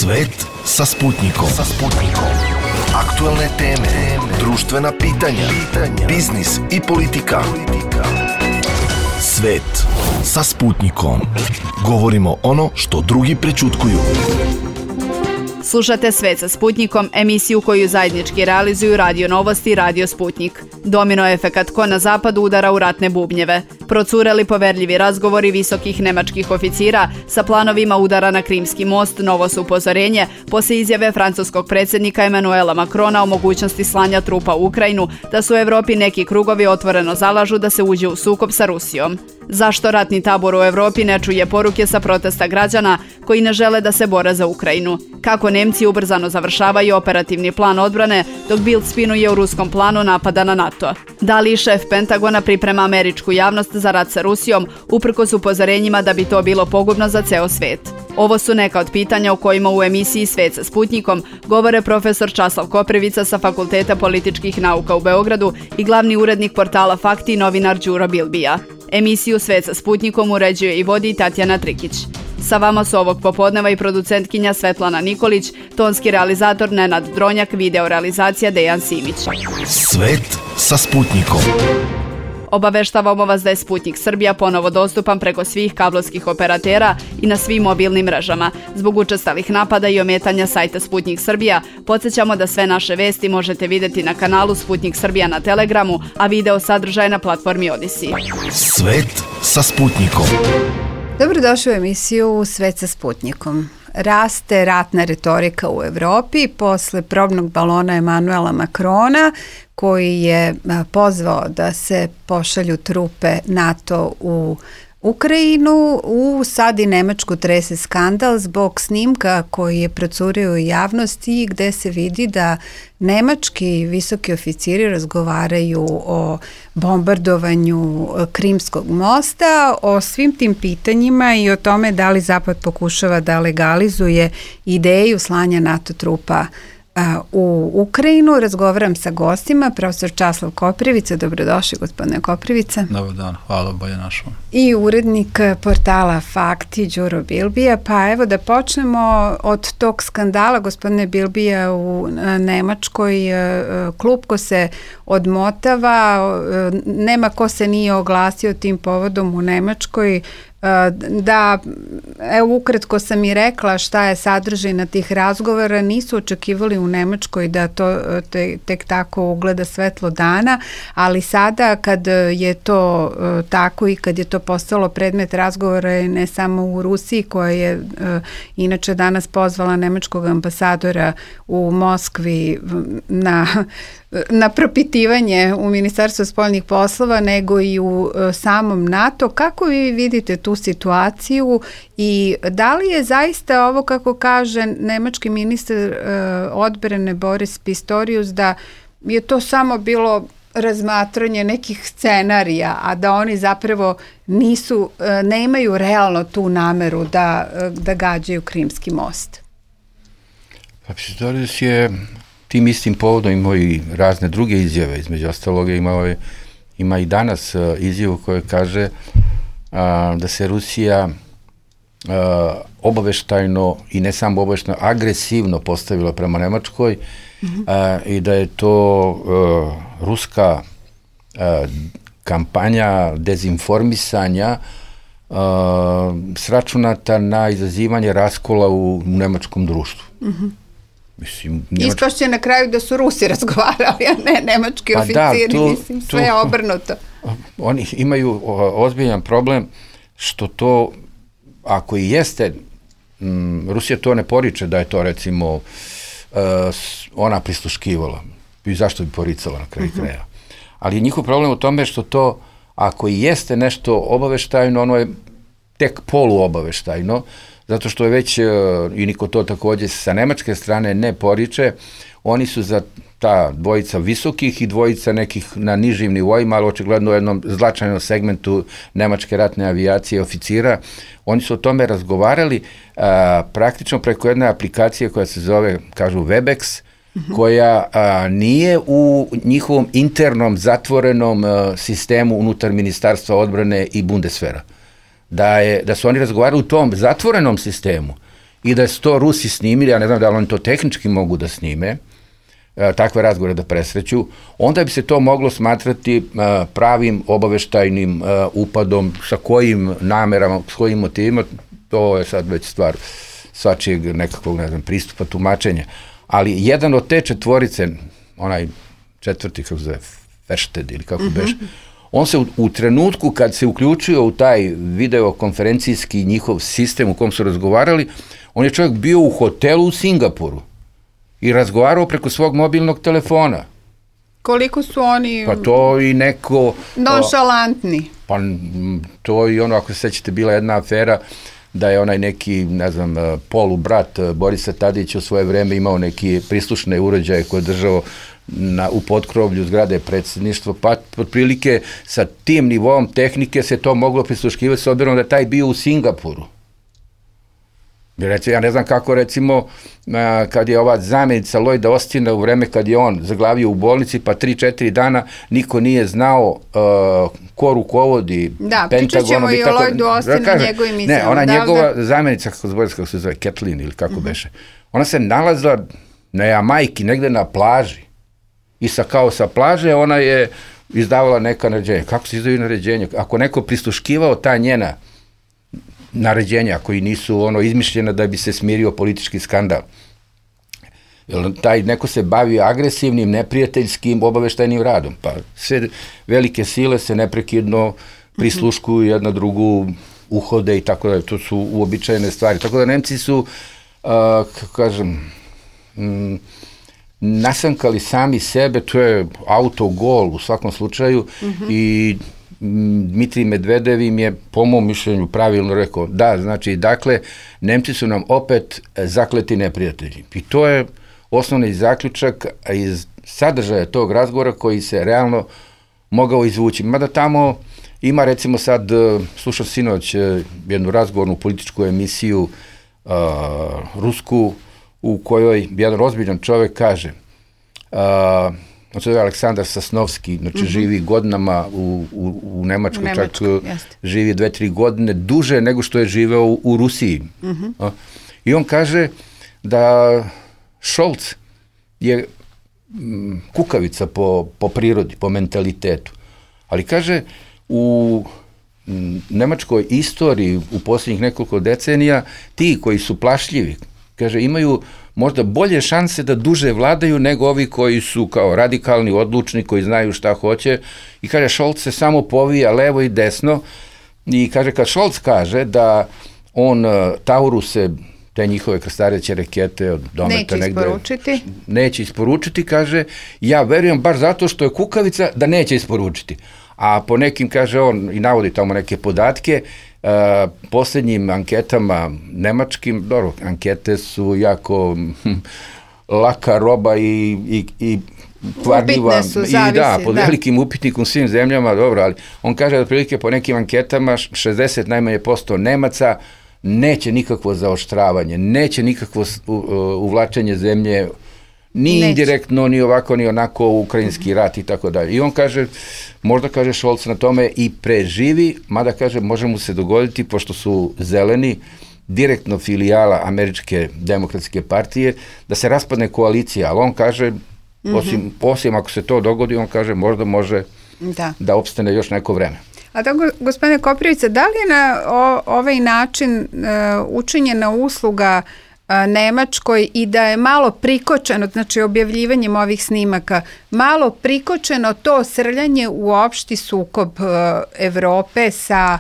Svet sa Sputnikom. Aktuelne teme, društvena pitanja, biznis i politika. Svet sa Sputnikom. Govorimo ono što drugi prećutkuju. Slušate Svet sa Sputnikom, emisiju koju zajednički realizuju Radio Novosti i Radio Sputnik. Domino efekat ko na zapadu udara u ratne bubnjeve. Procureli poverljivi razgovori visokih nemačkih oficira sa planovima udara na Krimski most, novo su upozorenje poslije izjave francuskog predsjednika Emmanuela Macrona o mogućnosti slanja trupa u Ukrajinu, da su u Evropi neki krugovi otvoreno zalažu da se uđe u sukob sa Rusijom. Zašto ratni tabor u Evropi ne čuje poruke sa protesta građana koji ne žele da se bore za Ukrajinu? Kako Nemci ubrzano završavaju operativni plan odbrane, dok Bild spinuje u ruskom planu napada na NATO? Da li šef Pentagona priprema američku javnost za rat sa Rusijom, uprkos upozorenjima da bi to bilo pogubno za ceo svet? Ovo su neka od pitanja o kojima u emisiji Svet sa Sputnikom govore profesor Časlav Koprivica sa Fakulteta političkih nauka u Beogradu i glavni urednik portala Fakti i novinar Đuro Bilbija. Emisiju Svet sa Sputnikom uređuje i vodi Tatjana Trikić. Sa vama su ovog popodneva i producentkinja Svetlana Nikolić, tonski realizator Nenad Dronjak, video realizacija Dejan Simić. Svet sa Sputnikom. Obaveštavamo vas da je Sputnik Srbija ponovo dostupan preko svih kablovskih operatera i na svim mobilnim mrežama. Zbog učestalih napada i ometanja sajta Sputnik Srbija, podsjećamo da sve naše vesti možete vidjeti na kanalu Sputnik Srbija na Telegramu, a video sadržaj na platformi Odyssey. Svet sa Sputnikom. Dobrodošli u emisiju Svet sa Sputnikom. Raste ratna retorika u Evropi posle probnog balona Emmanuela Macrona, koji je pozvao da se pošalju trupe NATO u Ukrajinu. Sad i Nemačku trese skandal zbog snimka koji je procurio u javnosti, gde se vidi da nemački visoki oficiri razgovaraju o bombardovanju Krimskog mosta, o svim tim pitanjima i o tome da li Zapad pokušava da legalizuje ideju slanja NATO trupa u Ukrajinu. Razgovaram sa gostima, profesor Časlav Koprivica. Dobrodošli, gospodine Koprivica. Dobar dan, hvala, bolje našao. I urednik portala Fakti, Đuro Bilbija. Pa evo da počnemo od tog skandala, gospodine Bilbija, u Nemačkoj. Klupko se odmotava, nema ko se nije oglasio tim povodom u Nemačkoj. Da, evo ukratko sam i rekla šta je sadržina tih razgovora, nisu očekivali u Nemačkoj da to tek tako ugleda svetlo dana, ali sada kad je to tako i kad je to postalo predmet razgovora ne samo u Rusiji, koja je inače danas pozvala nemačkog ambasadora u Moskvi na propitivanje u Ministarstvu spoljnih poslova, nego i u samom NATO. Kako vi vidite tu situaciju i da li je zaista ovo, kako kaže nemački ministar odbrane Boris Pistorius, da je to samo bilo razmatranje nekih scenarija, a da oni zapravo nemaju realno tu nameru da gađaju Krimski most? Pa Pistorius je tim istim povodom imao i razne druge izjave, između ostaloga ima i danas izjavu koja kaže da se Rusija obaveštajno i ne samo obaveštajno, agresivno postavila prema Nemačkoj i da je to ruska kampanja dezinformisanja sračunata na izazivanje raskola u nemačkom društvu. Ispašće na kraju da su Rusi razgovarali, a ne nemački oficiri, sve je obrnuto. Oni imaju ozbiljan problem što to, ako i jeste, Rusija to ne poriče da je to recimo ona prisluškivala. I zašto bi poricala na kraju kraja? Ali je njihov problem u tome što to, ako i jeste nešto obaveštajno, ono je tek poluobaveštajno, zato što je već, i niko to također sa nemačke strane ne poriče, oni su za ta dvojica visokih i dvojica nekih na nižim nivoima, ali očigledno u jednom značajnom segmentu nemačke ratne avijacije oficira. Oni su o tome razgovarali praktično preko jedne aplikacije koja se zove, kažu, Webex, koja nije u njihovom internom zatvorenom sistemu unutar Ministarstva odbrane i Bundeswehra. Da su oni razgovarali u tom zatvorenom sistemu i da su to Rusi snimili, ja ne znam da li oni to tehnički mogu da snime, takve razgovore da presreću, onda bi se to moglo smatrati pravim obaveštajnim upadom, sa kojim namerama, s kojim motivima, to je sad već stvar svačijeg nekakvog, ne znam, pristupa, tumačenja. Ali jedan od te četvorice, onaj četvrti, kako se zove, Feršted ili kako beše, on se u trenutku kad se uključio u taj videokonferencijski njihov sistem u kom su razgovarali, on je čovjek bio u hotelu u Singapuru i razgovarao preko svog mobilnog telefona. Koliko su oni... Pa to i neko... nonšalantni. Pa to i ono, ako se sećate, bila jedna afera da je onaj neki, ne znam, polubrat Borisa Tadića u svoje vreme imao neki prislušne uređaje koje je držao u potkrovlju zgrade predsjedništva, pa otprilike sa tim nivom tehnike se to moglo prisluškivati s obzirom da je taj bio u Singapuru. Ja ne znam kako, recimo, kad je ova zamjenica Lloyda Austina u vreme kad je on zaglavio u bolnici, pa 3-4 dana niko nije znao ko rukovodi Pentagonom. Da, pričat ćemo i o Lloydu Austinu, njegovim izjavom. Ne, ona njegova zamjenica, kako se zove, Kathleen ili kako beše, ona se nalazila na Jamajki, negde na plaži. I kao sa plaže ona je izdavala neka naređenja. Kako se izdaju naređenja? Ako neko prisluškivao ta njena naređenja koji nisu izmišljena da bi se smirio politički skandal. Taj neko se bavi agresivnim, neprijateljskim, obaveštajnim radom. Pa sve velike sile se neprekidno prisluškuju jedna drugu, uhode i tako da. To su uobičajene stvari. Tako da Nemci su, kako kažem, nasankali sami sebe, to je autogol u svakom slučaju i Dmitrij Medvedev im je, po mom mišljenju, pravilno rekao, da, znači, dakle, Nemci su nam opet zakleti neprijatelji. I to je osnovni zaključak iz sadržaja tog razgovora koji se realno mogao izvući. Mada tamo ima, recimo sad, slušam sinoć jednu razgovornu političku emisiju rusku, u kojoj jedan ozbiljan čovjek kaže, on se zove Aleksandar Sasnovski, znači živi godinama u Nemačkoj, čak živi 2-3 godine, duže nego što je živeo u Rusiji. I on kaže da Scholz je kukavica po prirodi, po mentalitetu. Ali kaže, u nemačkoj istoriji u posljednjih nekoliko decenija, ti koji su plašljivi, kaže, imaju možda bolje šanse da duže vladaju nego ovi koji su kao radikalni, odlučni, koji znaju šta hoće. I kaže, Scholz se samo povija levo i desno i kaže, kad Scholz kaže da on Tauruse, te njihove krstareće rakete od dometa neće isporučiti, kaže, ja verujem baš zato što je kukavica da neće isporučiti. A po nekim, kaže on, i navodi tamo neke podatke, posljednjim anketama nemačkim, dobro, ankete su jako laka roba i kvarljiva i da, pod velikim upitnikom svim zemljama, dobro, ali on kaže da prilike po nekim anketama 60 najmanje % Nemaca neće nikakvo zaoštravanje, neće nikakvo uvlačenje zemlje, ni indirektno, ni ovako, ni onako ukrajinski rat i tako dalje. I on kaže, možda kaže Scholz na tome i preživi, mada kaže, može mu se dogoditi, pošto su zeleni, direktno filijala Američke demokratske partije, da se raspadne koalicija, ali on kaže, osim ako se to dogodi, on kaže, možda može da opstane još neko vreme. A tako, gospodine Koprivica, da li je na ovaj način učinjena usluga Nemačkoj i da je malo prikočeno, znači objavljivanjem ovih snimaka, malo prikočeno to srljanje u opšti sukob Evrope sa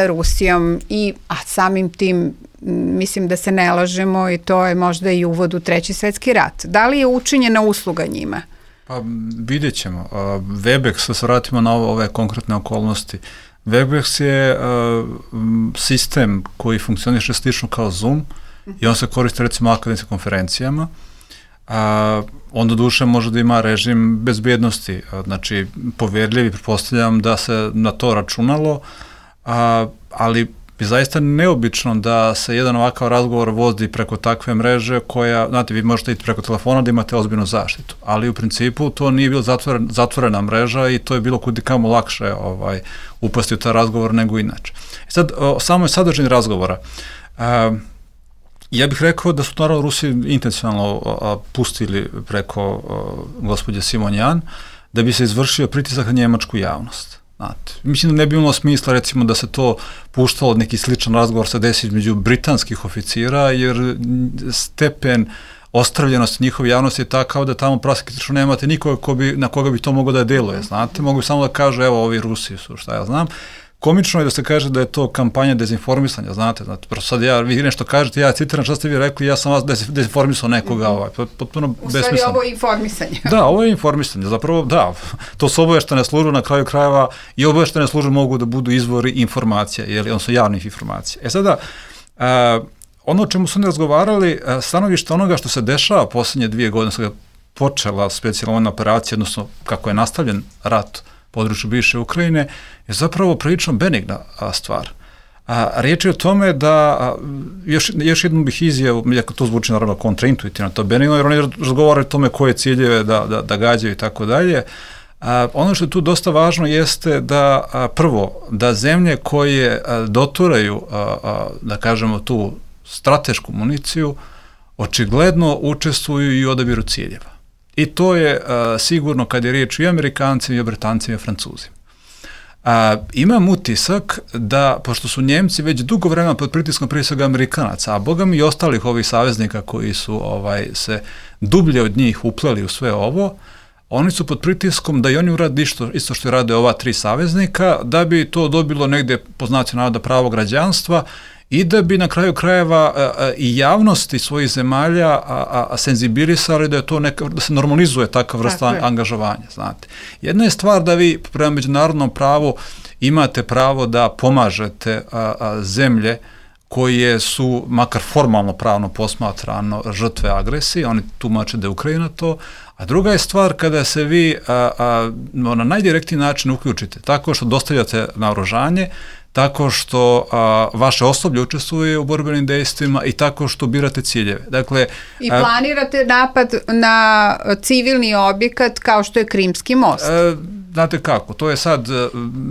Rusijom a samim tim mislim da se ne lažemo i to je možda i uvod u Treći svjetski rat. Da li je učinjena usluga njima? Pa vidjet ćemo. Webex, da se vratimo na ove konkretne okolnosti. Webex je sistem koji funkcioniše slično kao Zoom i on se koristi recimo akademskim konferencijama. On do duše može da ima režim bezbjednosti, znači povjerljivi, pretpostavljam da se na to računalo, ali je zaista neobično da se jedan ovakav razgovor vodi preko takve mreže koja, znate, vi možete iti preko telefona da imate ozbiljnu zaštitu, ali u principu to nije bilo zatvorena mreža i to je bilo kudikamo lakše upasti u taj razgovor nego inače. Sad, samo je sadržaj razgovora. Ja bih rekao da su naravno Rusi intencionalno pustili preko gospođe Simonjan da bi se izvršio pritisak na njemačku javnost. Znate, mislim da ne bi imalo smisla recimo da se to puštalo od neki sličan razgovor se desi između britanskih oficira, jer stepen ostravljenosti njihove javnosti je takav da tamo praktično nemate nikoga na koga bi to moglo da deluje, znate, mogu samo da kažu evo ovi Rusi su, šta ja znam. Komično je da se kaže da je to kampanja dezinformisanja, znate, prosto sad vi nešto kažete, ja citiram šta ste vi rekli, ja sam vas dezinformisao nekoga, potpuno besmisleno. U stvari ovo je informisanje. Da, ovo je informisanje, zapravo da, to su obaveštene službe, na kraju krajeva i obaveštene službe mogu da budu izvori informacija, odnosno javnih informacija. Sada, ono o čemu su oni razgovarali, stanovište onoga što se dešava posljednje 2 godine, kada je počela specijalna vojna operacija, odnosno kako je nastavljen rat području bivše Ukrajine, je zapravo prilično benigna stvar. Riječ je o tome da, još jednu bih izjavu, iako to zvuči naravno kontraintuitivno, to je benigno, jer oni razgovaraju o tome koje ciljeve da gađaju i tako dalje. Ono što je tu dosta važno jeste da, prvo, da zemlje koje doturaju, da kažemo, tu stratešku municiju, očigledno učestvuju i u odabiru ciljeva. I to je sigurno kad je riječ i o Amerikancima, i o Britancima, i o Francuzima. Imam utisak da, pošto su Njemci već dugo vremena pod pritiskom prije svega Amerikanaca, a boga mi i ostalih ovih saveznika koji su se dublje od njih upleli u sve ovo, oni su pod pritiskom da i oni urade isto što rade ova 3 saveznika, da bi to dobilo negdje po znacima navoda pravo građanstva i da bi na kraju krajeva i javnosti svojih zemalja senzibilisali da je to da se normalizuje takva vrsta angažovanja, znate. Jedna je stvar da vi prema međunarodnom pravu imate pravo da pomažete zemlje koje su, makar formalno pravno posmatrano, žrtve agresije, oni tumače da je Ukrajina to, a druga je stvar kada se vi na najdirektniji način uključite, tako što dostavljate naoružanje, tako što vaše osoblje učestvuje u borbenim dejstvima i tako što birate ciljeve. Dakle, i planirate napad na civilni objekat kao što je Krimski most. Znate kako, to je sad,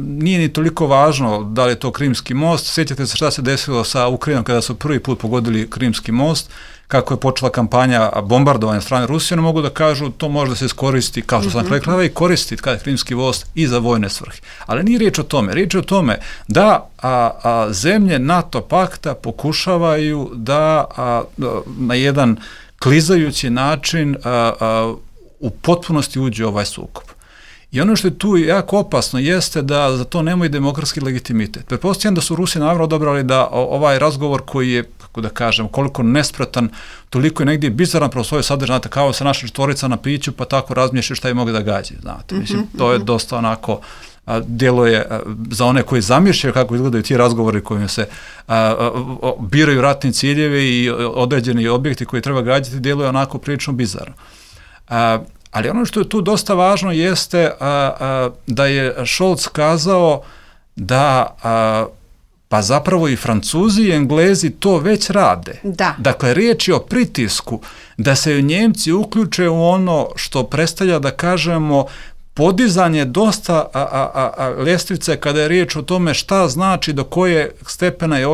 nije ni toliko važno da li je to Krimski most, sjećate se šta se desilo sa Ukrajinom kada su prvi put pogodili Krimski most, kako je počela kampanja bombardovanja strane Rusije, ne mogu da kažu to može da se iskoristi, kao što sam rekla, i koristi kada je Krimski most i za vojne svrhe. Ali nije riječ o tome, riječ je o tome da zemlje NATO pakta pokušavaju da na jedan klizajući način u potpunosti uđe ovaj sukob. I ono što je tu jako opasno jeste da za to nemaju demokratski legitimitet. Pretpostavljam da su Rusi naravno odabrali da ovaj razgovor koji je, kako da kažem, koliko nespretan, toliko je negdje bizaran pro svoje sadržaj, znate, kao se naša četvorica na piću, pa tako razmišljaju šta je mogli da gađe, znate. Mislim, to je dosta onako, djeluje za one koji zamišljaju kako izgledaju ti razgovori kojim se biraju ratni ciljevi i određeni objekti koji treba gađati, djeluje onako prilično bizarno. Ali ono što je tu dosta važno jeste da je Scholz kazao da pa zapravo i Francuzi i Englezi to već rade. Da. Dakle, riječ je o pritisku da se Njemci uključe u ono što predstavlja, da kažemo, podizanje dosta ljestvice kada je riječ o tome šta znači do koje stepena je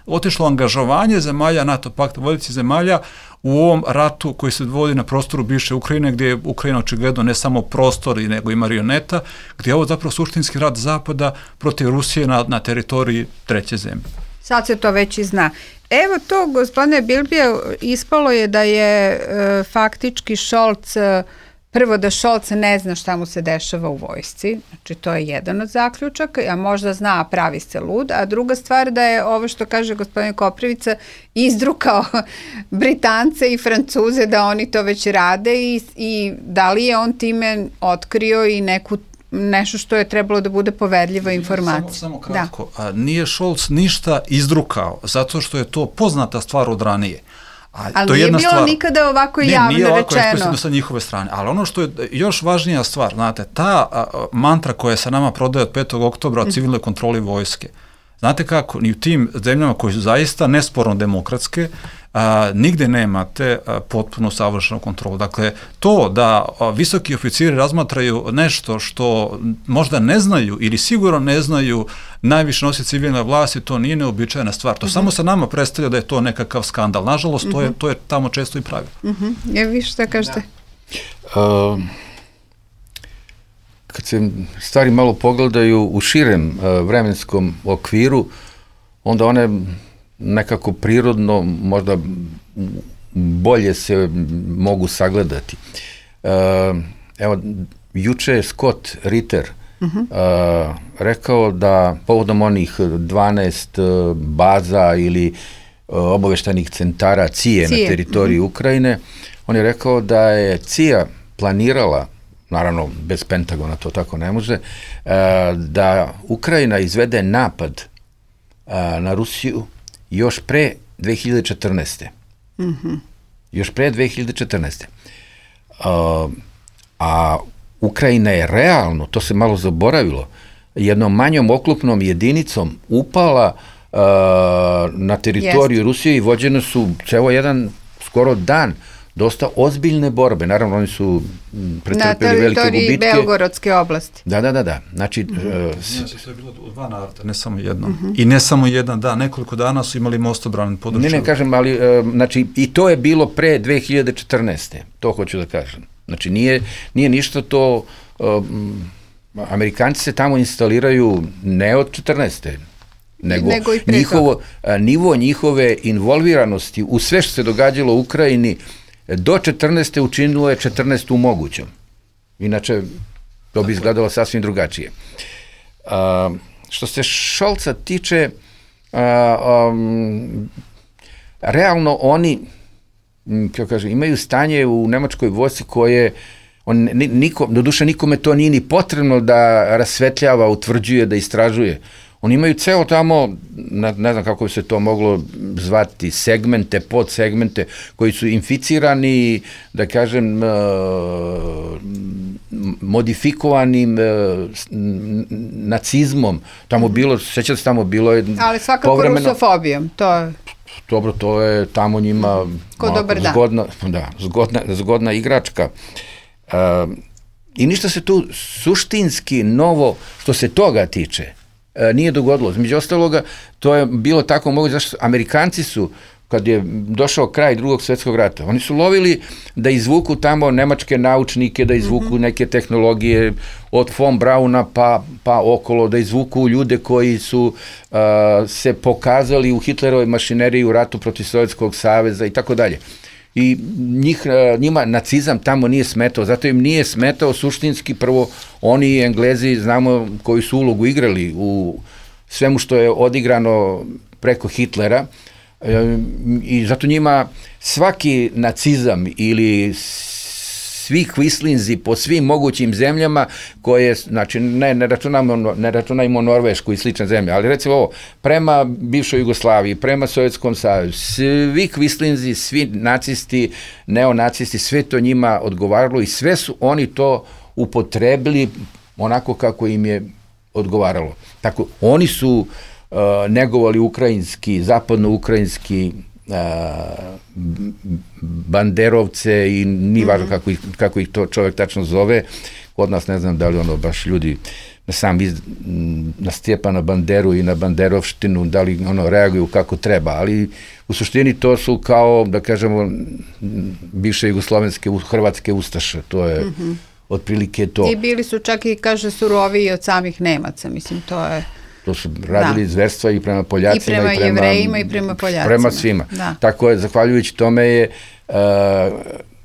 otišlo angažovanje zemalja NATO pakta, vodećih zemalja u ovom ratu koji se vodi na prostoru bivše Ukrajine, gdje je Ukrajina očigledno ne samo prostor, nego i marioneta, gdje je ovo zapravo suštinski rat Zapada protiv Rusije na teritoriji treće zemlje. Sad se to već i zna. Evo to, gospodine Bilbija, ispalo je da je faktički Scholz, prvo da Scholz ne zna šta mu se dešava u vojsci, znači to je jedan od zaključaka, a možda zna, a pravi se lud, a druga stvar da je ovo što kaže gospodin Koprivica izdrukao Britance i Francuze da oni to već rade i da li je on time otkrio i nešto što je trebalo da bude poverljiva informacija. Samo kratko, nije Scholz ništa izdrukao, zato što je to poznata stvar od ranije. Ali to nije bilo nikada ovako javno rečeno. Nije ovako eksplicitno sa njihove strane. Ali ono što je još važnija stvar, znate, ta mantra koja se nama prodaje od 5. oktobra o civilnoj kontroli vojske, znate kako, ni u tim zemljama koje su zaista nesporno demokratske, nigde nemate potpuno savršenu kontrolu. Dakle, to da visoki oficiri razmatraju nešto što možda ne znaju ili sigurno ne znaju najviše nosi civilne vlasti, to nije neobičajna stvar. To samo sa nama predstavlja da je to nekakav skandal. Nažalost, to je tamo često i pravilo. Vi šta kažete? Kad se stvari malo pogledaju u širem vremenskom okviru, onda one nekako prirodno možda bolje se mogu sagledati. Evo, juče je Scott Ritter rekao da povodom onih 12 baza ili obaveštajnih centara CIA na teritoriji Ukrajine, on je rekao da je CIA planirala, naravno bez Pentagona to tako ne može, da Ukrajina izvede napad na Rusiju još pre 2014. Još pre 2014. A Ukrajina je realno, to se malo zaboravilo, jednom manjom oklopnom jedinicom upala na teritoriju Rusije i vođene su ceo jedan skoro dan dosta ozbiljne borbe. Naravno, oni su pretrpeli velike gubitke. Na teritoriji Belgorodske oblasti. Da. Znači, to je bilo u 2 navrata, ne samo jednom. I ne samo jedan dan, nekoliko dana su imali mostobranan područje. Ne kažem, ali znači, i to je bilo pre 2014. To hoću da kažem. Znači, nije ništa to... Amerikanci se tamo instaliraju ne od 14. nego nivo njihove involviranosti u sve što se događalo u Ukrajini do 14. učinilo je 14. mogućom. Inače, to bi izgledalo sasvim drugačije. Što se Scholza tiče, realno oni, kako kažem, imaju stanje u nemačkoj vojsci koje doduše nikome to nije ni potrebno da rasvetljava, utvrđuje, da istražuje. Oni imaju ceo tamo, ne znam kako bi se to moglo zvati, segmente, podsegmente koji su inficirani, da kažem, modifikovanim nacizmom. Tamo bilo, sećate se, tamo bilo je... Ali svakako rusofobijom, to je... Dobro, to je tamo njima zgodna igračka. I ništa se tu suštinski novo, što se toga tiče, nije dogodilo. Među ostaloga, to je bilo tako moguće, zašto Amerikanci su, kad je došao kraj Drugog svjetskog rata, oni su lovili da izvuku tamo nemačke naučnike, da izvuku neke tehnologije od von Brauna pa okolo, da izvuku ljude koji su se pokazali u Hitlerovoj mašineriji u ratu protiv Sovjetskog saveza i tako dalje. I njima nacizam tamo nije smetao, zato im nije smetao suštinski, prvo oni Englezi, znamo koju su ulogu igrali u svemu što je odigrano preko Hitlera, i zato njima svaki nacizam ili svi kvislinzi po svim mogućim zemljama koje, znači ne računajmo Norvešku i slične zemlje, ali recimo ovo, prema bivšoj Jugoslaviji, prema Sovjetskom savezu, svi kvislinzi, svi nacisti, neonacisti, sve to njima odgovaralo i sve su oni to upotrebili onako kako im je odgovaralo. Tako, oni su negovali ukrajinski, zapadno-ukrajinski banderovce i nije važno kako ih to čovjek tačno zove. Kod nas ne znam da li baš ljudi na Stjepana Banderu i na banderovštinu, da li reaguju kako treba, ali u suštini to su kao, da kažemo, bivše jugoslovenske, hrvatske ustaše, to je otprilike to. I bili su čak i, kaže, suroviji od samih Nemaca, mislim, to je... To su radili zverstva i prema Poljacima, i prema Jevrejima i prema Poljacima. Prema svima. Tako je, zahvaljujući tome je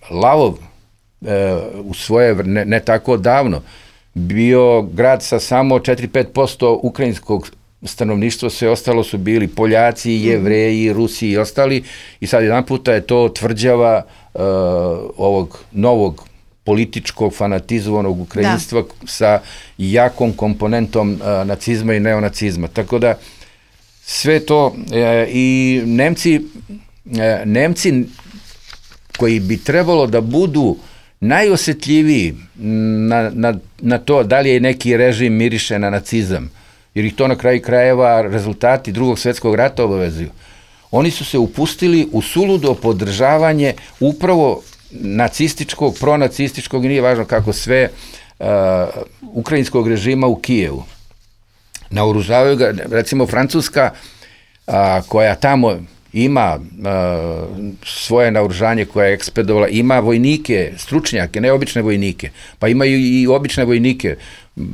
Lavov u svoje, ne tako davno, bio grad sa samo 4-5% ukrajinskog stanovništva, sve ostalo su bili Poljaci, Jevreji, Rusi i ostali, i sad jedan puta je to tvrđava ovog novog političkog fanatizovanog ukrajinstva sa jakom komponentom nacizma i neonacizma. Tako da sve to i Nemci koji bi trebalo da budu najosetljiviji na to da li je neki režim miriše na nacizam, jer ih to na kraju krajeva rezultati Drugog svjetskog rata obavezuju. oni su se upustili u suludo podržavanje upravo nacističkog, pronacističkog, i nije važno kako sve, ukrajinskog režima u Kijevu. Naoružavaju ga, recimo Francuska, koja tamo ima svoje naoružanje koje je ekspedovala, ima vojnike, stručnjake, ne obične vojnike, pa imaju i obične vojnike,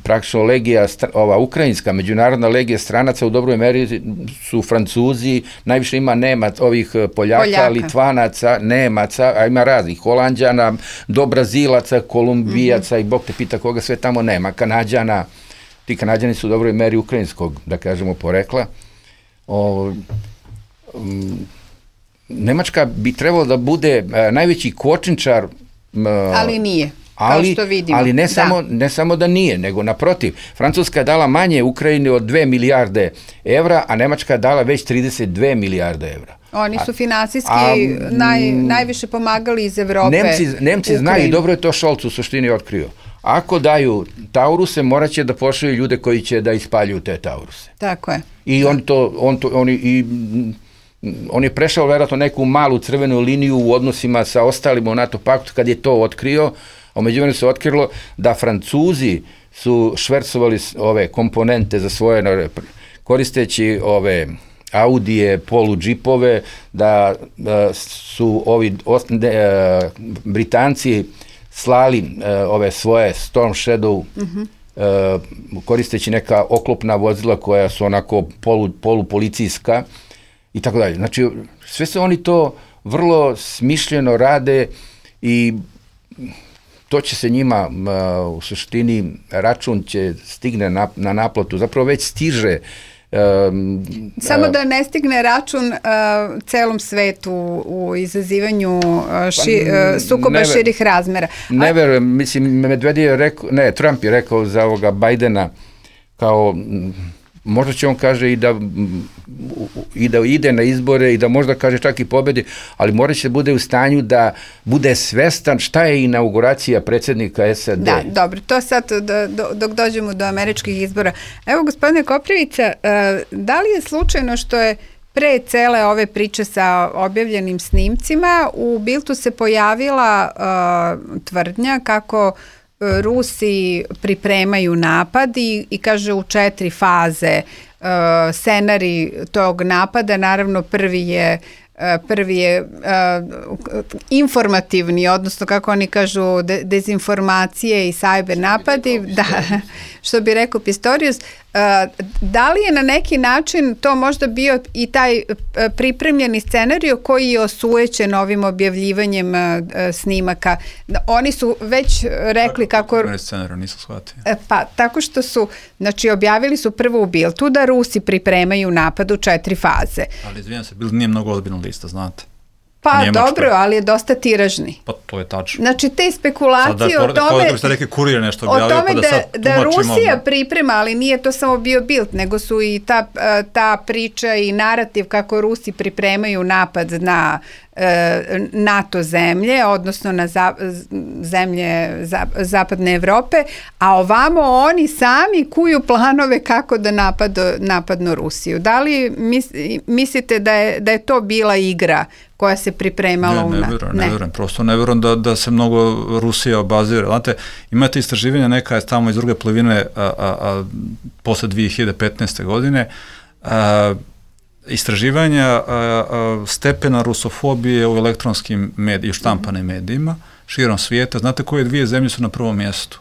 praktično legija, ova ukrajinska, međunarodna legija stranaca u dobroj meri su Francuzi, najviše ima ovih Poljaka, Litvanaca, Nemaca, a ima raznih, Holanđana, do Brazilaca, Kolumbijaca i Bog te pita koga sve tamo nema, Kanađana, ti Kanađani su u dobroj meri ukrajinskog, da kažemo, porekla. Nemačka bi trebalo da bude najveći kočničar, ali nije, kao što vidimo. Ali ne samo da nije, nego naprotiv. Francuska je dala manje Ukrajini od 2 milijarde evra, a Nemačka je dala već 32 milijarde evra. Oni su finansijski najviše pomagali iz Evrope. Nemci znaju, i dobro je to Scholz u suštini otkrio. Ako daju Tauruse, morat će da pošalju ljude koji će da ispaljuju te Tauruse. Tako je. I on je prešao vjerojatno neku malu crvenu liniju u odnosima sa ostalima u NATO paktu kad je to otkrio, a međuvremenu se otkrilo da Francuzi su švercovali ove komponente za svoje, koristeći ove Audije, poludžipove, da su ovi Britanci slali ove svoje Storm Shadow, koristeći neka oklopna vozila koja su onako polupolicijska i tako dalje. Znači, sve se oni to vrlo smišljeno rade i to će se njima u suštini, račun će stigne na naplatu, zapravo već stiže. Samo da ne stigne račun celom svetu u izazivanju sukoba širih razmera. Ne verujem, mislim, Trump je rekao za ovoga Bajdena kao, možda će on kaže i da ide na izbore i da možda kaže čak i pobedi, ali mora će bude u stanju da bude svestan šta je inauguracija predsjednika SAD. Da, dobro, to sad dok dođemo do američkih izbora. Evo, gospodine Koprivica, da li je slučajno što je pre cele ove priče sa objavljenim snimcima u Bildu se pojavila tvrdnja kako Rusi pripremaju napad i kaže u 4 faze scenarij tog napada. Naravno prvi je informativni, odnosno kako oni kažu dezinformacije i cyber napadi, da, što bi rekao Pistorius. Da li je na neki način to možda bio i taj pripremljeni scenarij koji je osujećen ovim objavljivanjem snimaka? Oni su već rekli kako... Scenarij, nisam shvatio. Pa, tako što su, znači, objavili su prvo u Bildu da Rusi pripremaju napad u 4 faze. Ali izvijem se, Bild nije mnogo ozbiljna lista, znate. Pa dobro, ali je dosta tiražni. Pa to je tačno. Znači te spekulacije o tome da Rusija priprema, ali nije to samo bio Bild, nego su i ta priča i narativ kako Rusi pripremaju napad na NATO zemlje, odnosno na zemlje zapadne Evrope, a ovamo oni sami kuju planove kako da napadnu Rusiju. Da li mislite da je to bila igra koja se pripremala Ne verujem, prosto ne verujem da se mnogo Rusija obazira. Znate, imate istraživanja neka je tamo iz druge polovine posle 2015. godine, istraživanja stepena rusofobije u elektronskim medijima, štampanim medijima, širom svijeta. Znate koje 2 zemlje su na prvom mjestu?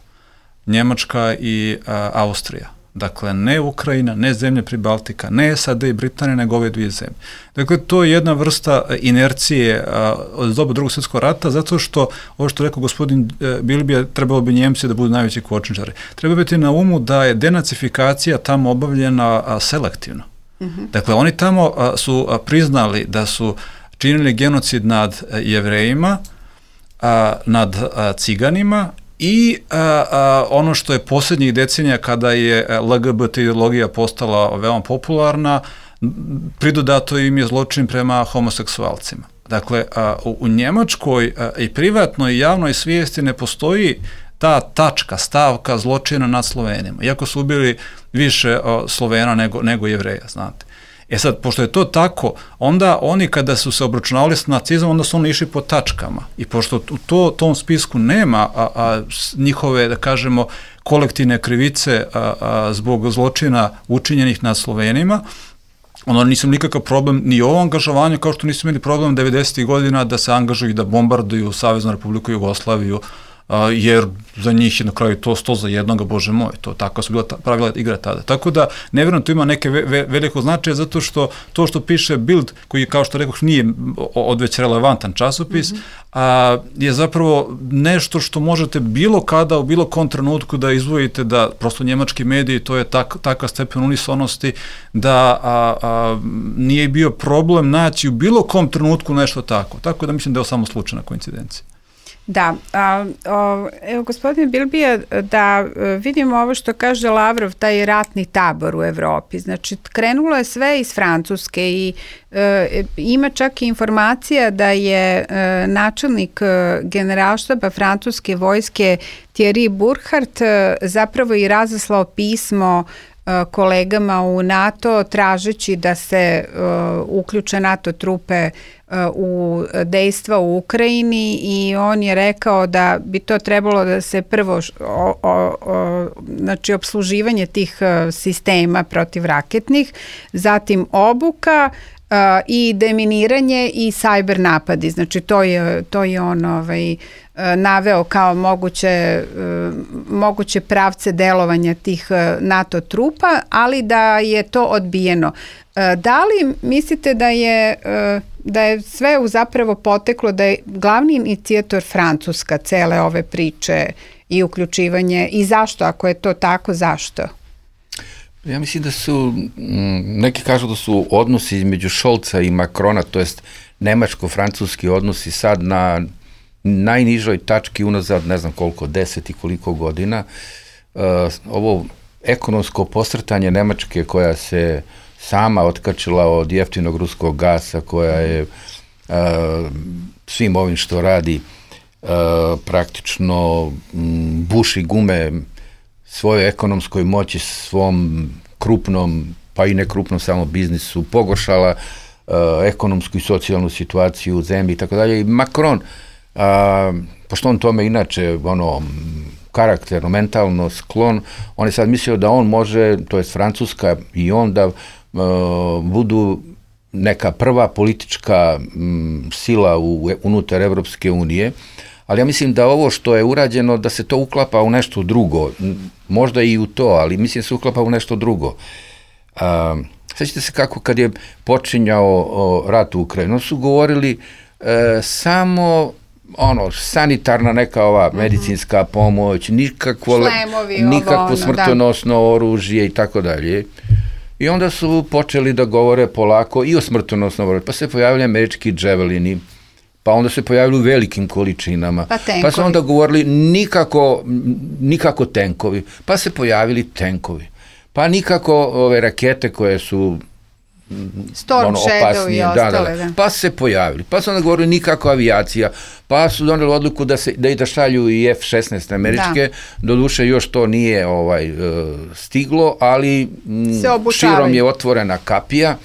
Njemačka i Austrija. Dakle, ne Ukrajina, ne zemlje Pribaltika, ne SAD i Britanija, nego ove 2 zemlje. Dakle, to je jedna vrsta inercije od doba Drugog svjetskog rata, zato što, ovo što rekao gospodin Bilbija, trebalo bi Njemci da budu najveći kočničari. Treba biti na umu da je denacifikacija tamo obavljena selektivno. Dakle, oni tamo su priznali da su činili genocid nad Jevrejima, nad Ciganima i ono što je posljednjih decenija kada je LGBT ideologija postala veoma popularna, pridodato im je zločin prema homoseksualcima. Dakle, u Njemačkoj i privatnoj i javnoj svijesti ne postoji ta tačka, stavka zločina nad Slovenima, iako su ubili više Slovena nego Jevreja, znate. E sad, pošto je to tako, onda oni kada su se obračunavali s nacizmom, onda su oni išli po tačkama. I pošto u tom spisku nema njihove, da kažemo, kolektivne krivice zbog zločina učinjenih nad Slovenima, ono nisu nikakav problem ni u ovom angažovanju, kao što nisu imali problem 90. godina da se angažuju i da bombarduju Saveznu Republiku Jugoslaviju, jer za njih je na kraju to 100 za jednoga, bože moj, to tako su bila pravila igra tada. Tako da, ne vjerujem, to ima neke veliko značaje, zato što to što piše Bild, koji, kao što rekoh, nije odveć relevantan časopis, je zapravo nešto što možete bilo kada, u bilo kom trenutku da izvojite, da prosto njemački mediji, to je takav stepen unisonosti, da nije bio problem naći u bilo kom trenutku nešto tako. Tako da mislim da je ovo samo slučajna koincidencija. Da, evo gospodine Bilbija, da vidimo ovo što kaže Lavrov, taj ratni tabor u Evropi. Znači, krenulo je sve iz Francuske i ima čak i informacija da je načelnik generalštaba francuske vojske Thierry Burkhardt zapravo i razaslao pismo kolegama u NATO tražeći da se uključe NATO trupe u dejstva u Ukrajini i on je rekao da bi to trebalo da se prvo znači opsluživanje tih sistema protivraketnih, zatim obuka i deminiranje i sajber napadi. Znači to je on naveo kao moguće pravce delovanja tih NATO trupa, ali da je to odbijeno. Da li mislite da je sve zapravo poteklo, da je glavni inicijator Francuska cele ove priče i uključivanje, i zašto, ako je to tako, zašto? Ja mislim da su, neki kažu da su odnosi između Scholza i Macrona, to jest nemačko-francuski odnosi sad na najnižoj tački unazad, ne znam koliko, 10 i koliko godina. Ovo ekonomsko posrtanje Nemačke koja se sama otkačila od jeftinog ruskog gasa, koja je svim ovim što radi praktično buši gume svojoj ekonomskoj moći, svom krupnom, pa i nekrupnom samo biznisu, pogoršala ekonomsku i socijalnu situaciju u zemlji i tako dalje. I Macron, pošto on tome inače karakterno, mentalno sklon, on je sad mislio da on može, to je Francuska i on, da budu neka prva politička sila unutar Evropske unije, ali ja mislim da ovo što je urađeno, da se to uklapa u nešto drugo, možda i u to, ali mislim da se uklapa u nešto drugo. Sjećate se kako kad je počinjao rat u Ukrajini, su govorili samo sanitarna neka ova medicinska pomoć, nikakvo smrtonosno oružje i tako dalje. I onda su počeli da govore polako i o smrtonosnom oružju, pa se pojavili američki dževelini, pa onda se pojavili u velikim količinama, pa su onda govorili nikako tenkovi, pa se pojavili tenkovi, pa nikako ove rakete koje su Storm Shadow i ostale, pa se pojavili, pa su onda govorili nikako avijacija, pa su doneli odluku da šalju i F-16 američke, doduše još to nije stiglo, ali širom je otvorena kapija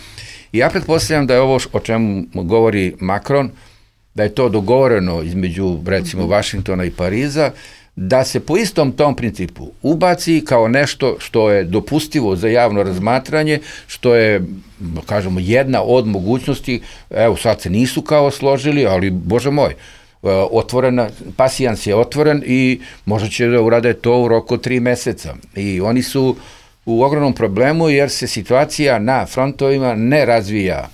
i ja pretpostavljam da je ovo o čemu govori Macron, da je to dogovoreno između recimo Vašingtona i Pariza, da se po istom tom principu ubaci kao nešto što je dopustivo za javno razmatranje, što je, kažemo, jedna od mogućnosti, evo sad se nisu kao složili, ali bože moj, otvorena, pasijans je otvoren i možda će da urade to u roku 3 meseca. I oni su u ogromnom problemu jer se situacija na frontovima ne razvija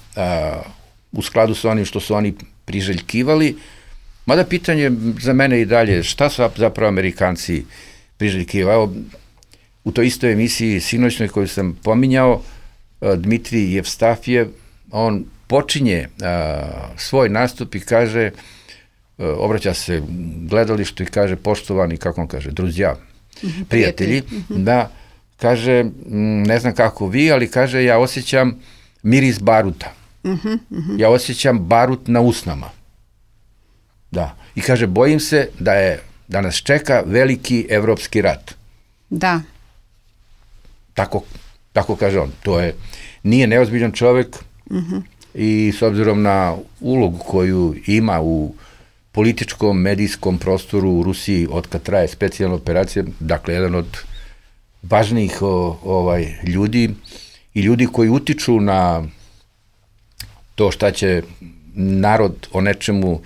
u skladu sa onim što su oni priželjkivali. Mada pitanje za mene i dalje, šta su zapravo Amerikanci priželjkivali? U toj istoj emisiji sinoćnoj koju sam pominjao, Dmitrij Jevstafjev, on počinje svoj nastup i kaže, obraća se gledalištu i kaže, poštovani, kako on kaže, druzja, prijatelji, da, kaže, ne znam kako vi, ali kaže, ja osjećam miris baruta. Ja osjećam barut na usnama. Da. I kaže, bojim se da nas čeka veliki evropski rat. Da. Tako Tako kaže on. Nije neozbiljan čovek i s obzirom na ulogu koju ima u političkom, medijskom prostoru u Rusiji od kad traje specijalna operacija, dakle, jedan od važnijih ljudi i ljudi koji utiču na to šta će narod o nečemu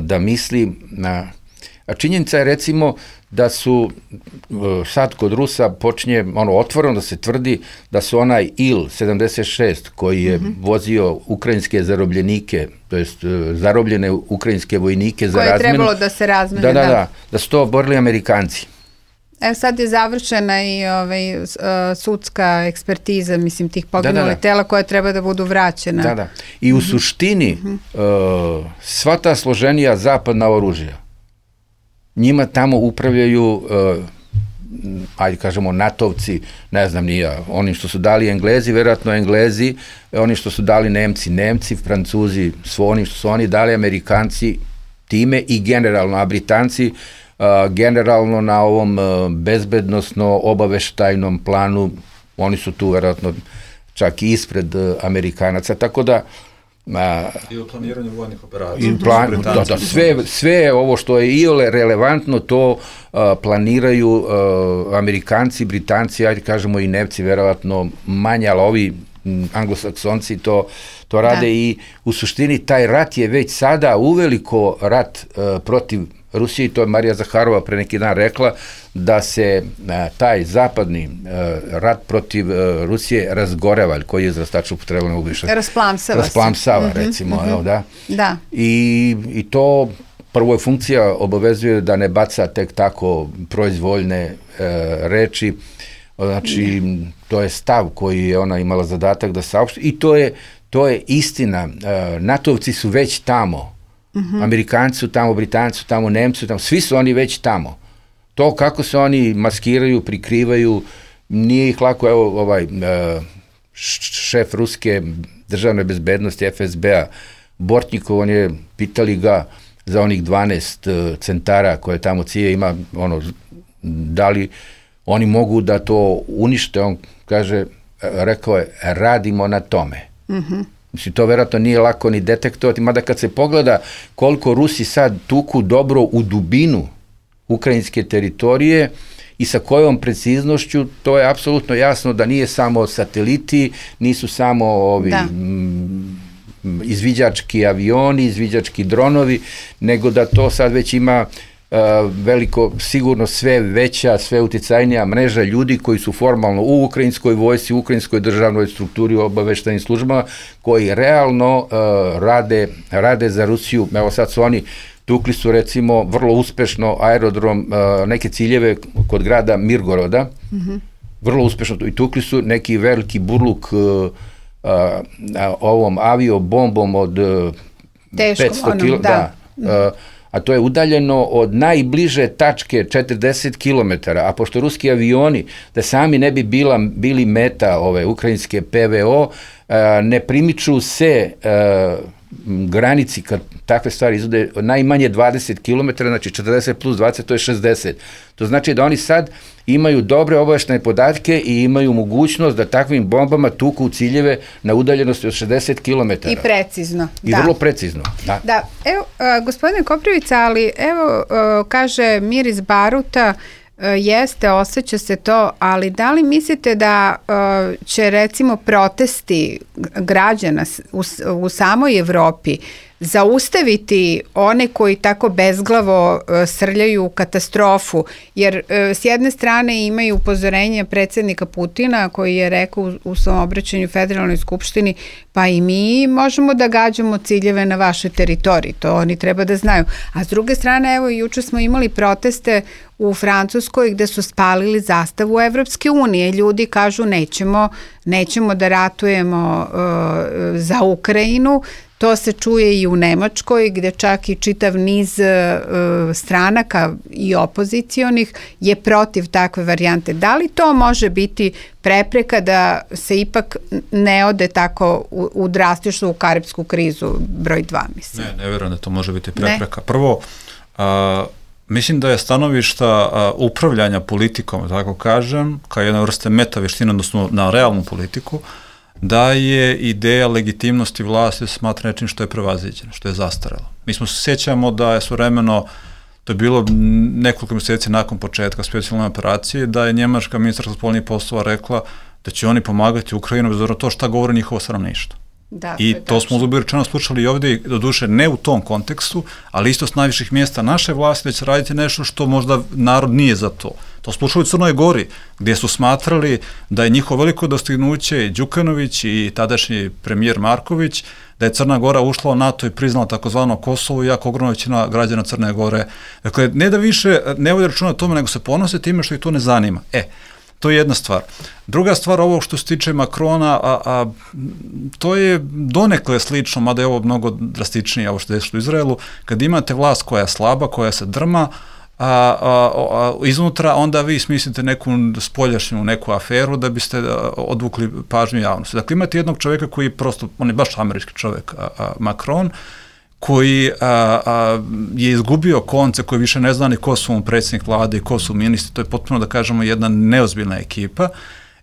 da misli. A činjenica je, recimo, da su sad kod Rusa počinje otvoreno da se tvrdi da su onaj Il-76 koji je vozio ukrajinske zarobljenike, to jest zarobljene ukrajinske vojnike za razmenu. Koje je trebalo da se razmene, da su to oborili Amerikanci. Evo sad je završena i sudska ekspertiza, mislim, tih poginulih tela koja treba da budu vraćena. I u suštini sva ta složenija zapadna oružja, njima tamo upravljaju, ajde kažemo, NATO-vci, ne znam ni ja, onim što su dali Englezi, verovatno Englezi, onim što su dali Nemci, Francuzi, onim što su oni dali Amerikanci time i generalno, a Britanci generalno na ovom bezbednosno-obaveštajnom planu, oni su tu verovatno čak i ispred Amerikanaca, tako da i u planiranju vojnih operacija. Sve ovo što je iole relevantno, to planiraju Amerikanci, Britanci, ajde kažemo i Nemci, verovatno manje, ali ovi anglosaksonci to rade i u suštini taj rat je već sada uveliko rat protiv Rusije, to je Marija Zaharova pre neki dan rekla, da se taj zapadni rat protiv Rusije razgoreva, koji je izraz tačno upotrebno ne mogu više. Rasplamsava, recimo, da. I to prvo je funkcija obavezuje da ne baca tek tako proizvoljne reči, znači to je stav koji je ona imala zadatak da saopšti i to je istina. NATO-vci su već tamo. Amerikanci su tamo, Britanci su tamo, Nemci su tamo, svi su oni već tamo. To kako se oni maskiraju, prikrivaju, nije ih lako. Evo, šef ruske državne bezbednosti FSB-a, Bortnikov, on je, pitali ga za onih 12 centara koje tamo CIA ima, da li oni mogu da to unište, on kaže, rekao je, radimo na tome. Mislim, to verovatno nije lako ni detektovati, mada kad se pogleda koliko Rusi sad tuku dobro u dubinu ukrajinske teritorije i sa kojom preciznošću, to je apsolutno jasno da nije samo sateliti, nisu samo ovi izviđački avioni, izviđački dronovi, nego da to sad već ima veliko, sigurno sve veća, sve uticajnija mreža ljudi koji su formalno u ukrajinskoj vojsci, u ukrajinskoj državnoj strukturi, obaveštajnim službama, koji realno rade za Rusiju. Evo sad su oni, tukli su recimo vrlo uspešno aerodrom, neke ciljeve kod grada Mirgoroda, vrlo uspešno, i tukli su neki veliki burluk ovom aviobombom od 500 km, a to je udaljeno od najbliže tačke 40 km, a pošto ruski avioni, da sami ne bi bili meta ove ukrajinske PVO, ne primiču se granici kad takve stvari izvode najmanje 20 km, znači 40 plus 20, to je 60. To znači da oni sad imaju dobre obaveštene podatke i imaju mogućnost da takvim bombama tuku u ciljeve na udaljenosti od 60 km. I precizno. I vrlo precizno. Da, evo, gospodine Koprivica, ali evo, kaže Miris Baruta, jeste, osjeća se to, ali da li mislite da će recimo protesti građana u samoj Evropi zaustaviti one koji tako bezglavo srljaju u katastrofu, jer s jedne strane imaju upozorenje predsjednika Putina koji je rekao u svom obraćanju Federalnoj skupštini, pa i mi možemo da gađamo ciljeve na vašoj teritoriji, to oni treba da znaju. A s druge strane, evo, juče smo imali proteste u Francuskoj gde su spalili zastavu Evropske unije. Ljudi kažu nećemo da ratujemo za Ukrajinu. To se čuje i u Nemačkoj, gde čak i čitav niz stranaka i opozicionih je protiv takve varijante. Da li to može biti prepreka da se ipak ne ode tako u drastičnu u karipsku krizu broj 2, mislim? Ne verujem da to može biti prepreka. Prvo, Mislim da je stanovišta upravljanja politikom, tako kažem, kao jedna vrste metavještina, odnosno na realnu politiku, da je ideja legitimnosti vlasti smatra nečim što je prevaziđeno, što je zastarelo. Mi se sjećamo da je svovremeno, to je bilo nekoliko mjeseci nakon početka specijalne operacije, da je njemačka ministarka spoljnih poslova rekla da će oni pomagati Ukrajinu bez obzira na to šta govori njihovo stanovništvo. Da, I to smo uzubili rečeno slušali i ovdje, doduše ne u tom kontekstu, ali isto s najviših mjesta naše vlasti da će raditi nešto što možda narod nije za to. To slušali u Crnoj Gori, gdje su smatrali da je njihovo veliko dostignuće i Đukanović i tadašnji premijer Marković, da je Crna Gora ušla u NATO i priznala takozvano Kosovo, iako ogromna većina građana Crne Gore. Dakle, ne da više ne vode računa o tome, nego se ponose time što ih to ne zanima. To je jedna stvar. Druga stvar, ovo što se tiče Makrona, to je donekle slično, mada je ovo mnogo drastičnije, ovo što je desilo u Izraelu, kad imate vlast koja je slaba, koja se drma, iznutra, onda vi smislite neku spoljašnju, neku aferu da biste odvukli pažnju javnosti. Dakle, imate jednog čovjeka koji prosto, on je baš američki čovjek, Macron, koji je izgubio konce, koji više ne zna ni ko su mu predsjednik vlade i ko su ministri, to je potpuno, da kažemo, jedna neozbiljna ekipa.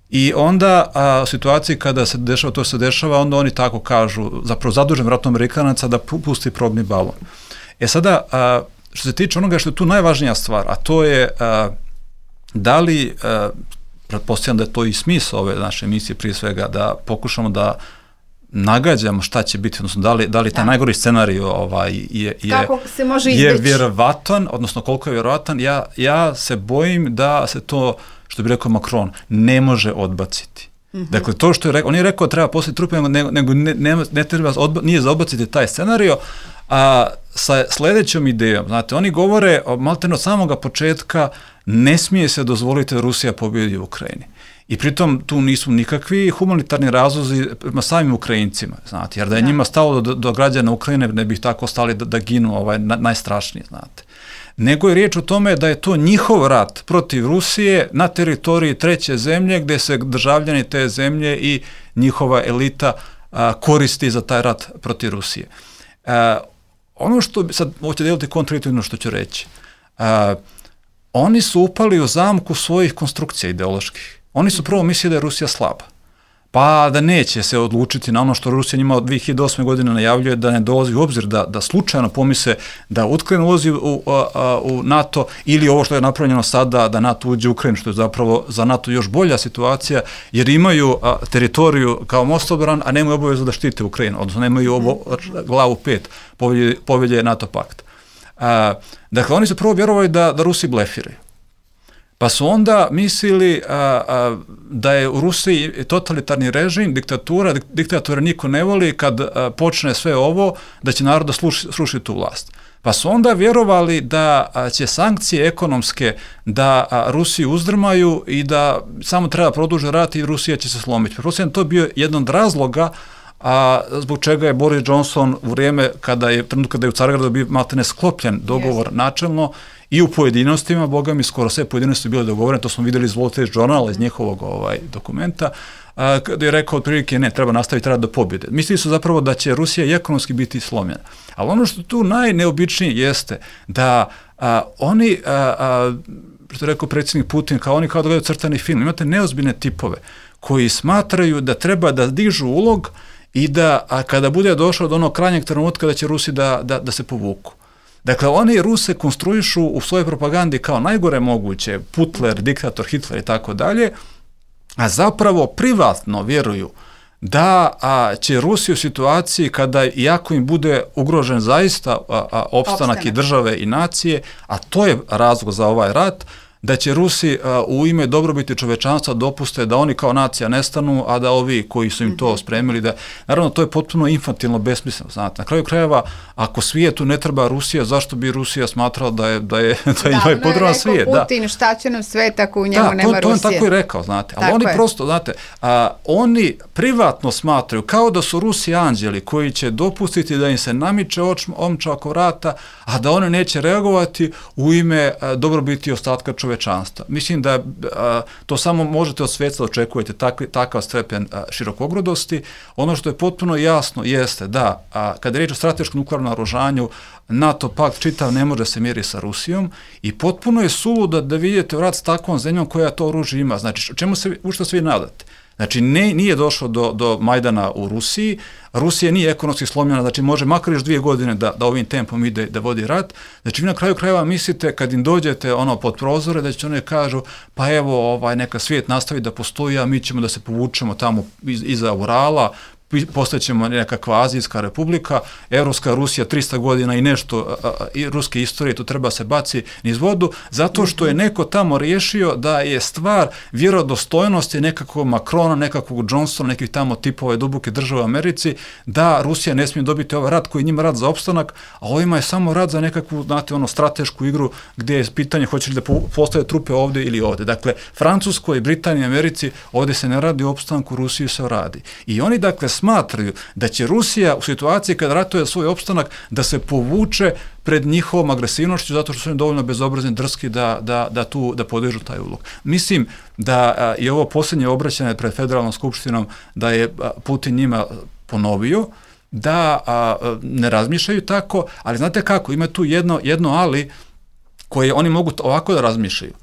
I onda u situaciji kada se dešava, to se dešava, onda oni tako kažu, zapravo zadužen vratno Amerikanaca da pusti probni balon. Sada, što se tiče onoga što je tu najvažnija stvar, a to je da li, pretpostavljam da je to i smisao ove naše emisije prije svega, da pokušamo da nagađamo šta će biti, odnosno da li taj najgori scenarij je vjerovatan, odnosno koliko je vjerovatan, ja se bojim da se to, što bi rekao Macron, ne može odbaciti. Dakle, to što je rekao, on je rekao da treba poslati trupe, nego ne treba, nije za odbaciti taj scenario, a sa sljedećom idejom, znate, oni govore, maltene od samoga početka, ne smije se dozvoliti da Rusija pobjedi u Ukrajini. I pritom tu nisu nikakvi humanitarni razlozi prema samim Ukrajincima, znate, jer da je njima stalo do građana Ukrajine, ne bi tako stali da ginu najstrašniji, znate. Nego je riječ o tome da je to njihov rat protiv Rusije na teritoriji treće zemlje, gdje se državljani te zemlje i njihova elita koristi za taj rat protiv Rusije. Ono što, sad hoće deliti kontradiktorno što ću reći, oni su upali u zamku svojih konstrukcija ideoloških. Oni su prvo mislili da je Rusija slaba, pa da neće se odlučiti na ono što Rusija njima od 2008. godine najavljuje, da ne dolazi u obzir, da slučajno pomisle da Ukrajina ulazi u NATO, ili ovo što je napravljeno sada, da NATO uđe u Ukrajinu, što je zapravo za NATO još bolja situacija, jer imaju teritoriju kao mostobran, a nemaju obavezu da štite Ukrajinu, odnosno nemaju glavu 5 povelje NATO pakta. Dakle, oni su prvo vjerovali da Rusi blefiraju. Pa su onda mislili da je u Rusiji totalitarni režim, diktatora niko ne voli, kad počne sve ovo, da će narod da sruši tu vlast. Pa su onda vjerovali da će sankcije ekonomske da Rusiju uzdrmaju i da samo treba produžiti rat i Rusija će se slomiti. Pretpostavljam, to je bio jedan od razloga zbog čega je Boris Johnson u vrijeme kada je u Cargradu bio maltene sklopljen dogovor načelno i u pojedinostima, boga mi skoro sve pojedinosti bile dogovorene, to smo vidjeli iz Wall Street Journala, iz njihovog dokumenta, kada je rekao otprilike ne, treba nastaviti rad do pobjede. Mislili su zapravo da će Rusija i ekonomski biti slomljena. Ali ono što tu najneobičnije jeste da oni, što je rekao predsjednik Putin, kao oni kao da gledaju crtani film, imate neozbiljne tipove koji smatraju da treba da dižu ulog i da kada bude došlo do onog krajnjeg trenutka da će Rusi da se povuku. Dakle, oni Ruse konstruišu u svojoj propagandi kao najgore moguće, Putler, diktator, Hitler i tako dalje, a zapravo privatno vjeruju da će Rusi u situaciji kada, iako im bude ugrožen zaista opstanak i države i nacije, a to je razlog za ovaj rat, da će Rusi u ime dobrobiti čovečanstva dopuste da oni kao nacija nestanu, a da ovi koji su im to spremili, da, naravno, to je potpuno infantilno, besmisleno, znate. Na kraju krajeva, ako svijetu ne treba Rusija, zašto bi Rusija smatrala da je potreban svijet? Da, Putin, šta će nam svijet ako u njemu nema Rusije? To on tako i rekao, znate. Ali oni prosto, znate, oni privatno smatraju kao da su Rusi anđeli koji će dopustiti da im se namiče omča oko vrata, a da oni neće reagovati u ime dobrobiti ostatka čovečanstva. čovečanstva. Mislim da to samo možete od sveta očekujete takav stepen širokogrudosti. Ono što je potpuno jasno jeste da kada je riječ o strateškom nuklearnom naoružanju, NATO pakt čitav ne može se mjeri sa Rusijom i potpuno je suludo da vidite rat s takvom zemljom koja to oružje ima. Znači, čemu se u što svi nadate? Znači, nije došlo do Majdana u Rusiji, Rusija nije ekonomski slomljena, znači može makar još 2 godine da ovim tempom ide da vodi rat. Znači, vi na kraju krajeva mislite kad im dođete pod prozore da će one kažu pa evo neka svijet nastavi da postoji, a mi ćemo da se povučemo tamo iza Urala, postaćemo nekakva Azijska republika, Evropska Rusija 300 godina i nešto ruske istorije, to treba se baci niz vodu, zato što je neko tamo riješio da je stvar vjerodostojnosti nekakvog Macrona, nekakvog Johnsona, nekih tamo tipova duboke države u Americi, da Rusija ne smije dobiti ovaj rat koji je njima rat za opstanak, a ovima je samo rat za nekakvu, znate, stratešku igru gdje je pitanje hoće li da postave trupe ovdje ili ovdje. Dakle, Francuskoj, Britaniji, Americi, ovdje se ne radi o opstanku, Rusiji se radi. I oni, dakle, smatraju da će Rusija u situaciji kada ratuje svoj opstanak da se povuče pred njihovom agresivnošću zato što su oni dovoljno bezobrazni, drski da podižu taj ulog. Mislim da je ovo posljednje obraćanje pred Federalnom skupštinom da je Putin njima ponovio da ne razmišljaju tako, ali znate kako, ima tu jedno ali koje oni mogu ovako da razmišljaju.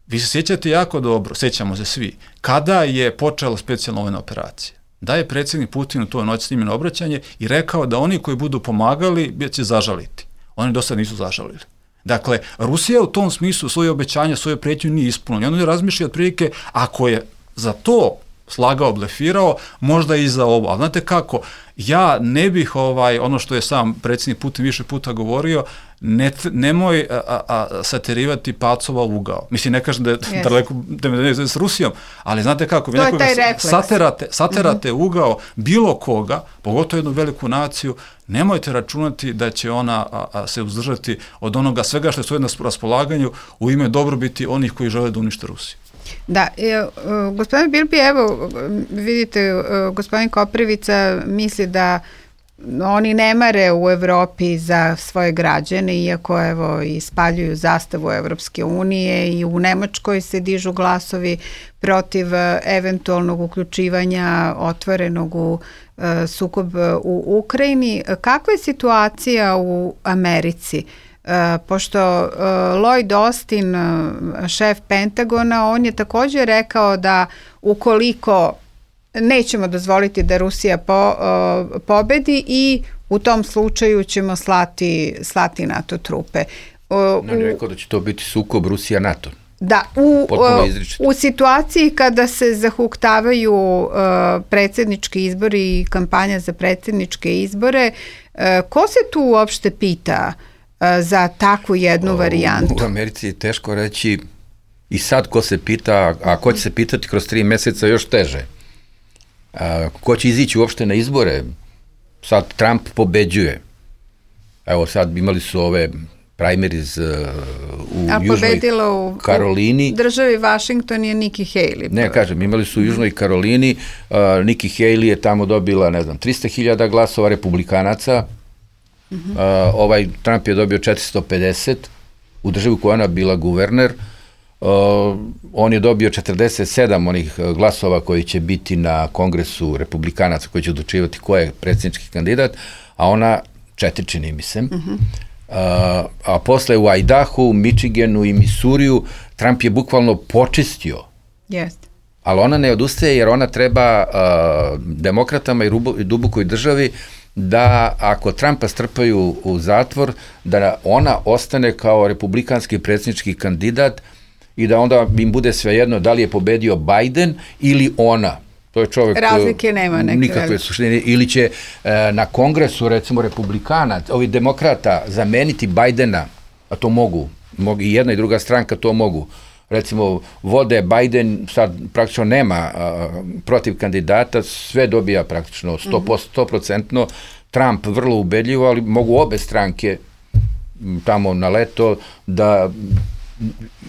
Vi se sjećate jako dobro, sjećamo se svi, kada je počela specijalna vojna operacija. Da je predsjednik Putin u toj noći snimljeno obraćanje i rekao da oni koji budu pomagali će zažaliti. Oni do sad nisu zažalili. Dakle, Rusija u tom smislu svoje obećanja, svoje prijetnje nije ispunila. I on razmišlja otprilike, ako je za to slagao, blefirao, možda i za ovo. Ali znate kako, ja ne bih ono što je sam predsjednik Putin više puta govorio, nemoj satirivati pacova u ugao. Mislim, ne kažem da je daleko s Rusijom, ali znate kako, vi nekoga saterate ugao bilo koga, pogotovo jednu veliku naciju, nemojte računati da će ona se uzdržati od onoga svega što je na raspolaganju u ime dobrobiti onih koji žele da unište Rusiju. Da, gospodin Bilbija, evo vidite, gospodin Koprivica misli da oni ne mare u Evropi za svoje građane, iako evo ispaljuju zastavu Evropske unije i u Nemačkoj se dižu glasovi protiv eventualnog uključivanja otvorenog u sukob u Ukrajini. Kakva je situacija u Americi? Pošto Lloyd Austin, šef Pentagona, on je također rekao da ukoliko nećemo dozvoliti da Rusija pobedi i u tom slučaju ćemo slati NATO trupe. On je rekao da će to biti sukob Rusija-NATO. Da, u situaciji kada se zahuktavaju predsjednički izbori i kampanja za predsjedničke izbore, ko se tu uopšte pita za takvu jednu varijantu? U Americi je teško reći i sad ko se pita, a ko će se pitati kroz 3 mjeseca još teže. Ko će izići uopšte na izbore? Sad Trump pobeđuje. Evo sad imali su ove primaries u Južnoj Karolini. U državi Washington je Nikki Haley. Ne, kažem, imali su u Južnoj Karolini, Nikki Haley je tamo dobila, 300.000 glasova republikanaca, Trump je dobio 450 u državi koja ona bila guverner, on je dobio 47 onih glasova koji će biti na kongresu republikanaca koji će odlučivati ko je predsjednički kandidat, a ona 4, čini mi se. A posle u Idahu, Michiganu i Missouriju Trump je bukvalno počistio. Jeste. Ali ona ne odustaje jer ona treba demokratama i dubokoj državi da ako Trumpa strpaju u zatvor, da ona ostane kao republikanski predsjednički kandidat i da onda im bude svejedno da li je pobedio Biden ili ona. To je čovjek, razlike nema nikakve suštine, ili će na kongresu recimo republikana, ovi demokrata zameniti Bidena, a to mogu i jedna i druga stranka to mogu. Recimo vode Biden, sad praktično nema protiv kandidata, sve dobija praktično 100%, Trump vrlo ubedljivo, ali mogu obe stranke tamo na leto da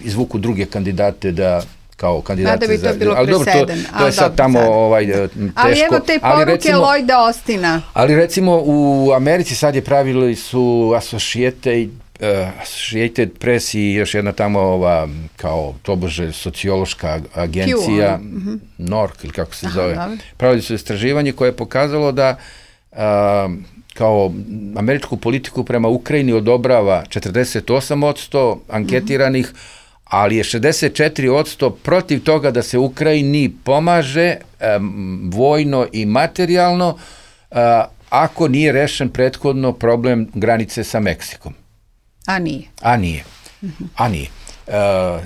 izvuku druge kandidate da kao kandidate da bi to bilo ali dobro, to je sad tamo teško. Ali evo te poruke Lloyda Austina. Ali recimo u Americi sad je pravili su Associated Associated Press i još jedna tamo ova, kao tobože sociološka agencija, NORC ili kako se zove, pravili su istraživanje koje je pokazalo da kao američku politiku prema Ukrajini odobrava 48% anketiranih, ali je 64% protiv toga da se Ukrajini pomaže vojno i materijalno ako nije rešen prethodno problem granice sa Meksikom. A nije. A nije.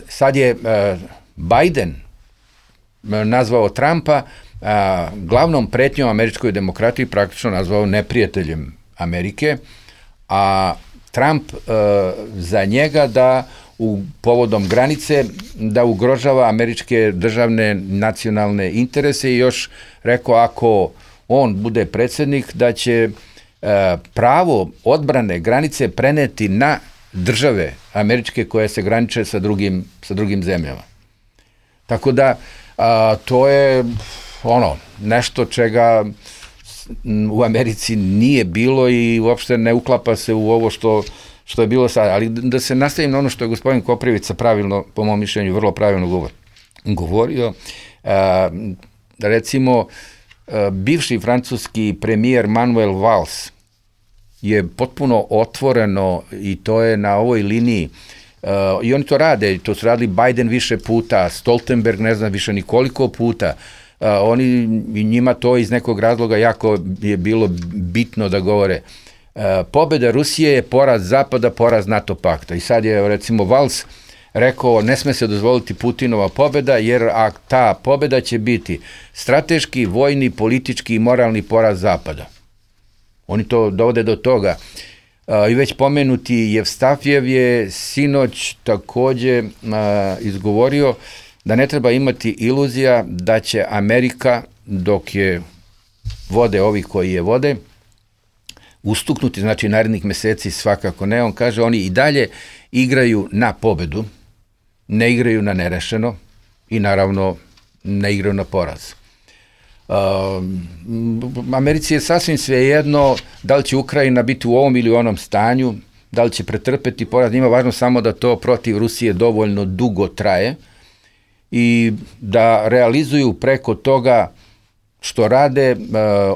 Sad je Biden nazvao Trumpa glavnom pretnjom američkoj demokratiji, praktično nazvao neprijateljem Amerike, a Trump za njega da povodom granice da ugrožava američke državne nacionalne interese i još rekao ako on bude predsjednik da će pravo odbrane granice preneti na države američke koje se graniče sa drugim zemljama. Tako da to je nešto čega u Americi nije bilo i uopšte ne uklapa se u ovo što je bilo sad. Ali da se nastavim na ono što je gospodin Koprivica pravilno, po mom mišljenju, vrlo pravilno govorio. Recimo, bivši francuski premijer Manuel Valls je potpuno otvoreno i to je na ovoj liniji i oni to rade, to su radili Biden više puta, Stoltenberg ne znam više nikoliko puta, njima to iz nekog razloga jako je bilo bitno da govore. Pobjeda Rusije je poraz Zapada, poraz NATO pakta i sad je recimo Valls rekao ne sme se dozvoliti Putinova pobjeda jer ta pobjeda će biti strateški, vojni, politički i moralni poraz Zapada. Oni to dovode do toga. I već pomenuti Jevstafjev je sinoć također izgovorio da ne treba imati iluzija da će Amerika, dok je vode ovi koji je vode, ustuknuti, znači narednih mjeseci svakako ne. On kaže oni i dalje igraju na pobedu, ne igraju na nerešeno i naravno ne igraju na poraz. Americi je sasvim svejedno da li će Ukrajina biti u ovom ili onom stanju, da li će pretrpeti poraz, njima važno samo da to protiv Rusije dovoljno dugo traje i da realizuju preko toga što rade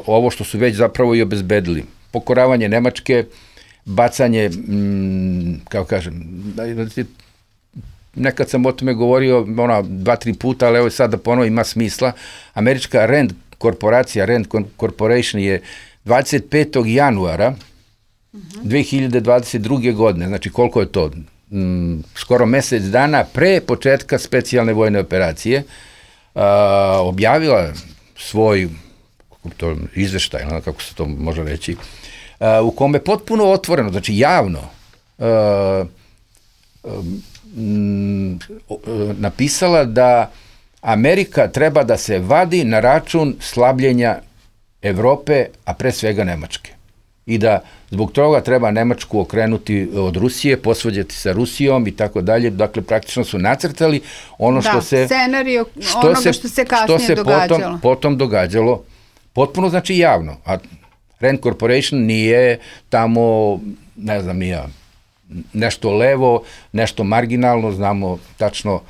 ovo što su već zapravo i obezbedili. Pokoravanje Nemačke, bacanje, kako kažem, nekad sam o tome govorio 2-3 puta, ali evo sad da ponovo ima smisla. Američka Rand korporacija, Rand Corporation je 25. januara 2022. godine, znači koliko je to? Skoro mjesec dana pre početka specijalne vojne operacije, objavila svoj izveštaj, kako se to može reći, u kome potpuno otvoreno, znači javno, napisala da Amerika treba da se vadi na račun slabljenja Evrope, a pre svega Nemačke. I da zbog toga treba Nemačku okrenuti od Rusije, posvađati sa Rusijom i tako dalje. Dakle, praktično su nacrtali ono što se... scenario onoga što se kasnije događalo. Potom događalo, potpuno znači javno. A Rand Corporation nije tamo, ne znam, nije nešto levo, nešto marginalno, znamo tačno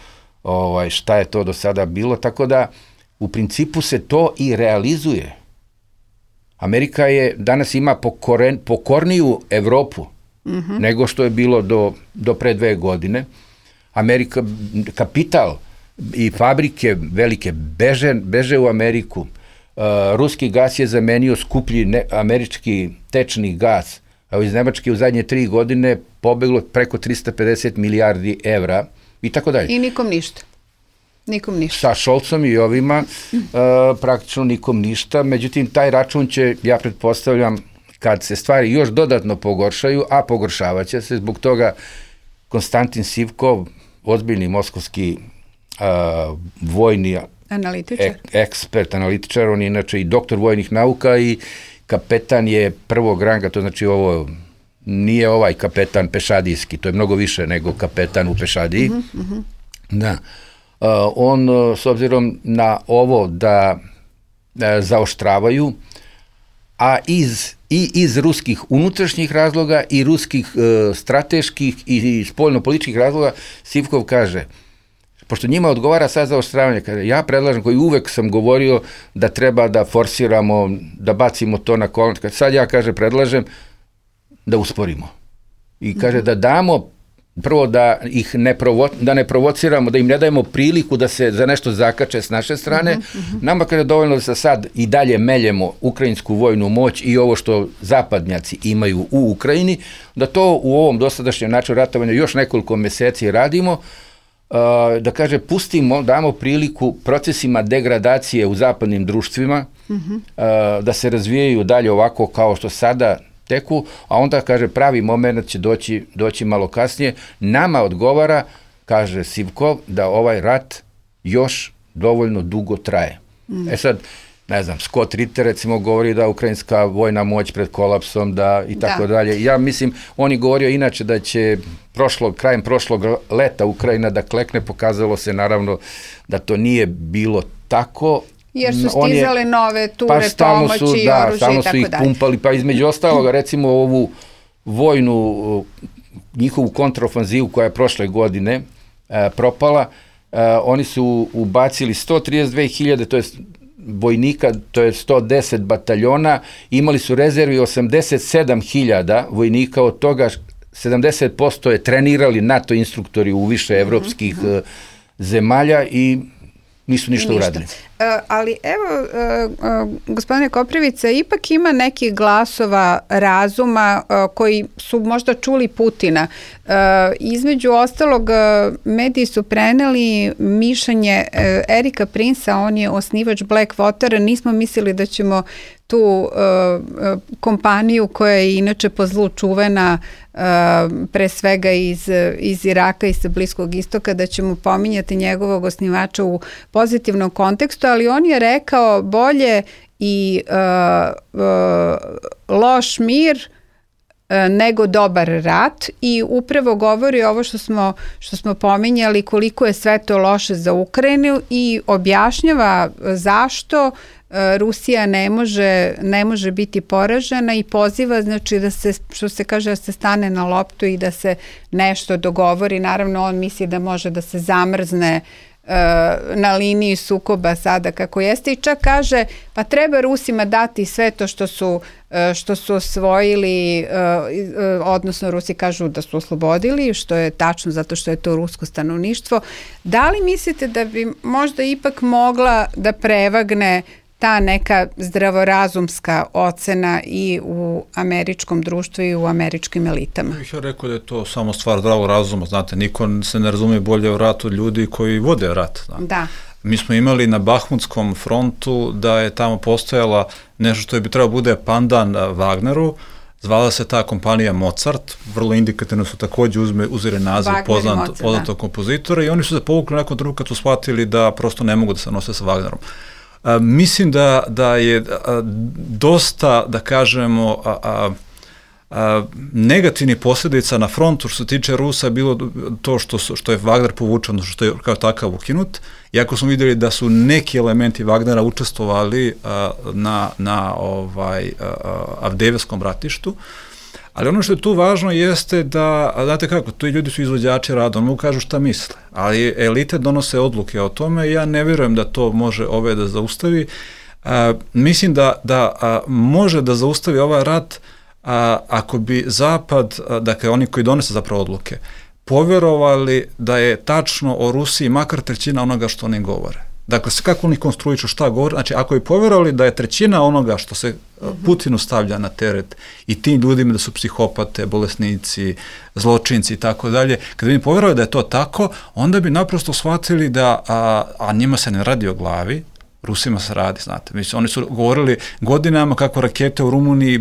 šta je to do sada bilo, tako da u principu se to i realizuje. Amerika danas ima pokorniju Evropu nego što je bilo do pre 2 godine. Amerika, kapital i fabrike velike beže u Ameriku. Ruski gas je zamenio skuplji američki tečni gas, a iz Nemačke u zadnje 3 godine pobeglo preko 350 milijardi evra i tako dalje. I nikom ništa. Sa Šolcom i ovima praktično nikom ništa, međutim taj račun će, ja pretpostavljam, kad se stvari još dodatno pogoršaju, a pogoršavat će se, zbog toga Konstantin Sivkov, ozbiljni moskovski vojni ekspert, analitičar, on je inače i doktor vojnih nauka i kapetan je prvog ranga, to znači ovo nije ovaj kapetan pešadijski, to je mnogo više nego kapetan u pešadiji. Da. On, s obzirom na ovo da zaoštravaju, a iz i iz ruskih unutrašnjih razloga i ruskih strateških i spoljno-političkih razloga. Sivkov kaže, pošto njima odgovara sad za oštravanje, kaže, ja predlažem, koji uvek sam govorio da treba da forsiramo, da bacimo to na kolon, sad ja, kaže, predlažem da usporimo. I kaže da damo, prvo da ih ne provociramo, da im ne dajemo priliku da se za nešto zakače s naše strane. Nama, kaže, dovoljno da se sad i dalje meljemo ukrajinsku vojnu moć i ovo što zapadnjaci imaju u Ukrajini, da to u ovom dosadašnjem načinu ratovanja još nekoliko meseci radimo, da kaže, pustimo, damo priliku procesima degradacije u zapadnim društvima, da se razvijaju dalje ovako kao što sada teku, a onda, kaže, pravi moment će doći malo kasnije. Nama odgovara, kaže Sivkov, da ovaj rat još dovoljno dugo traje. Sad, ne znam, Scott Ritter recimo govori da ukrajinska vojna moć pred kolapsom, da i tako dalje. Ja mislim, on je govorio inače da će krajem prošlog leta Ukrajina da klekne, pokazalo se naravno da to nije bilo tako. Jer su stizale nove ture pomoći i oružje i tako dalje. Stalno su ih pumpali, pa između ostaloga recimo ovu vojnu, njihovu kontraofanzivu koja je prošle godine propala, oni su ubacili 132.000, to je vojnika, to je 110 bataljona, imali su rezervi 87.000 vojnika, od toga 70% je trenirali NATO instruktori u više evropskih zemalja i nisu ništa uradili. Ali evo, gospodine Koprivica, ipak ima nekih glasova razuma koji su možda čuli Putina. Između ostalog, mediji su preneli mišljenje Erika Prinsa, on je osnivač Blackwater, nismo mislili da ćemo tu kompaniju koja je inače po zlu čuvena pre svega iz Iraka i sa Bliskog istoka, da ćemo pominjati njegovog osnivača u pozitivnom kontekstu, ali on je rekao bolje i loš mir nego dobar rat i upravo govori ovo što smo pominjali, koliko je sve to loše za Ukrajinu i objašnjava zašto Rusija ne može biti poražena i poziva, znači, da se, što se kaže, da se stane na loptu i da se nešto dogovori. Naravno, on misli da može da se zamrzne na liniji sukoba sada kako jeste i čak kaže pa treba Rusima dati sve to što su osvojili, odnosno Rusi kažu da su oslobodili, što je tačno zato što je to rusko stanovništvo. Da li mislite da bi možda ipak mogla da prevagne ta neka zdravorazumska ocena i u američkom društvu i u američkim elitama? Ja rekao da je to samo stvar zdravog razuma, znate, niko se ne razume bolje o ratu od ljudi koji vode rat. Da. Mi smo imali na Bahmutskom frontu da je tamo postojala nešto što bi trebalo bude pandan Wagneru, zvala se ta kompanija Mozart, vrlo indikativno su takođe uzeli naziv poznatog kompozitora i oni su se povukli nakon trenutka kad su shvatili da prosto ne mogu da se nose sa Wagnerom. Mislim da je dosta, da kažemo, negativnih posljedica na frontu što se tiče Rusa bilo to što je Wagner povučen, što je kao ukinut, iako smo vidjeli da su neki elementi Wagnera učestvovali na Avdijevskom ratištu, ali ono što je tu važno jeste da, znate kako, tu ljudi su izvođači rada, oni mu kažu šta misle, ali elite donose odluke o tome i ja ne vjerujem da to može ove da zaustavi. Mislim da može da zaustavi ovaj rat ako bi Zapad, dakle oni koji donese zapravo odluke, povjerovali da je tačno o Rusiji makar trećina onoga što oni govore. Dakle, kako oni konstruišu šta govore, znači ako bi povjerovali da je trećina onoga što se Putinu stavlja na teret i tim ljudima da su psihopate, bolesnici, zločinci i tako dalje, kada bi povjerovali da je to tako, onda bi naprosto shvatili da, a njima se ne radi o glavi, Rusima se radi, znate. Mislim, oni su govorili godinama kako rakete u Rumuniji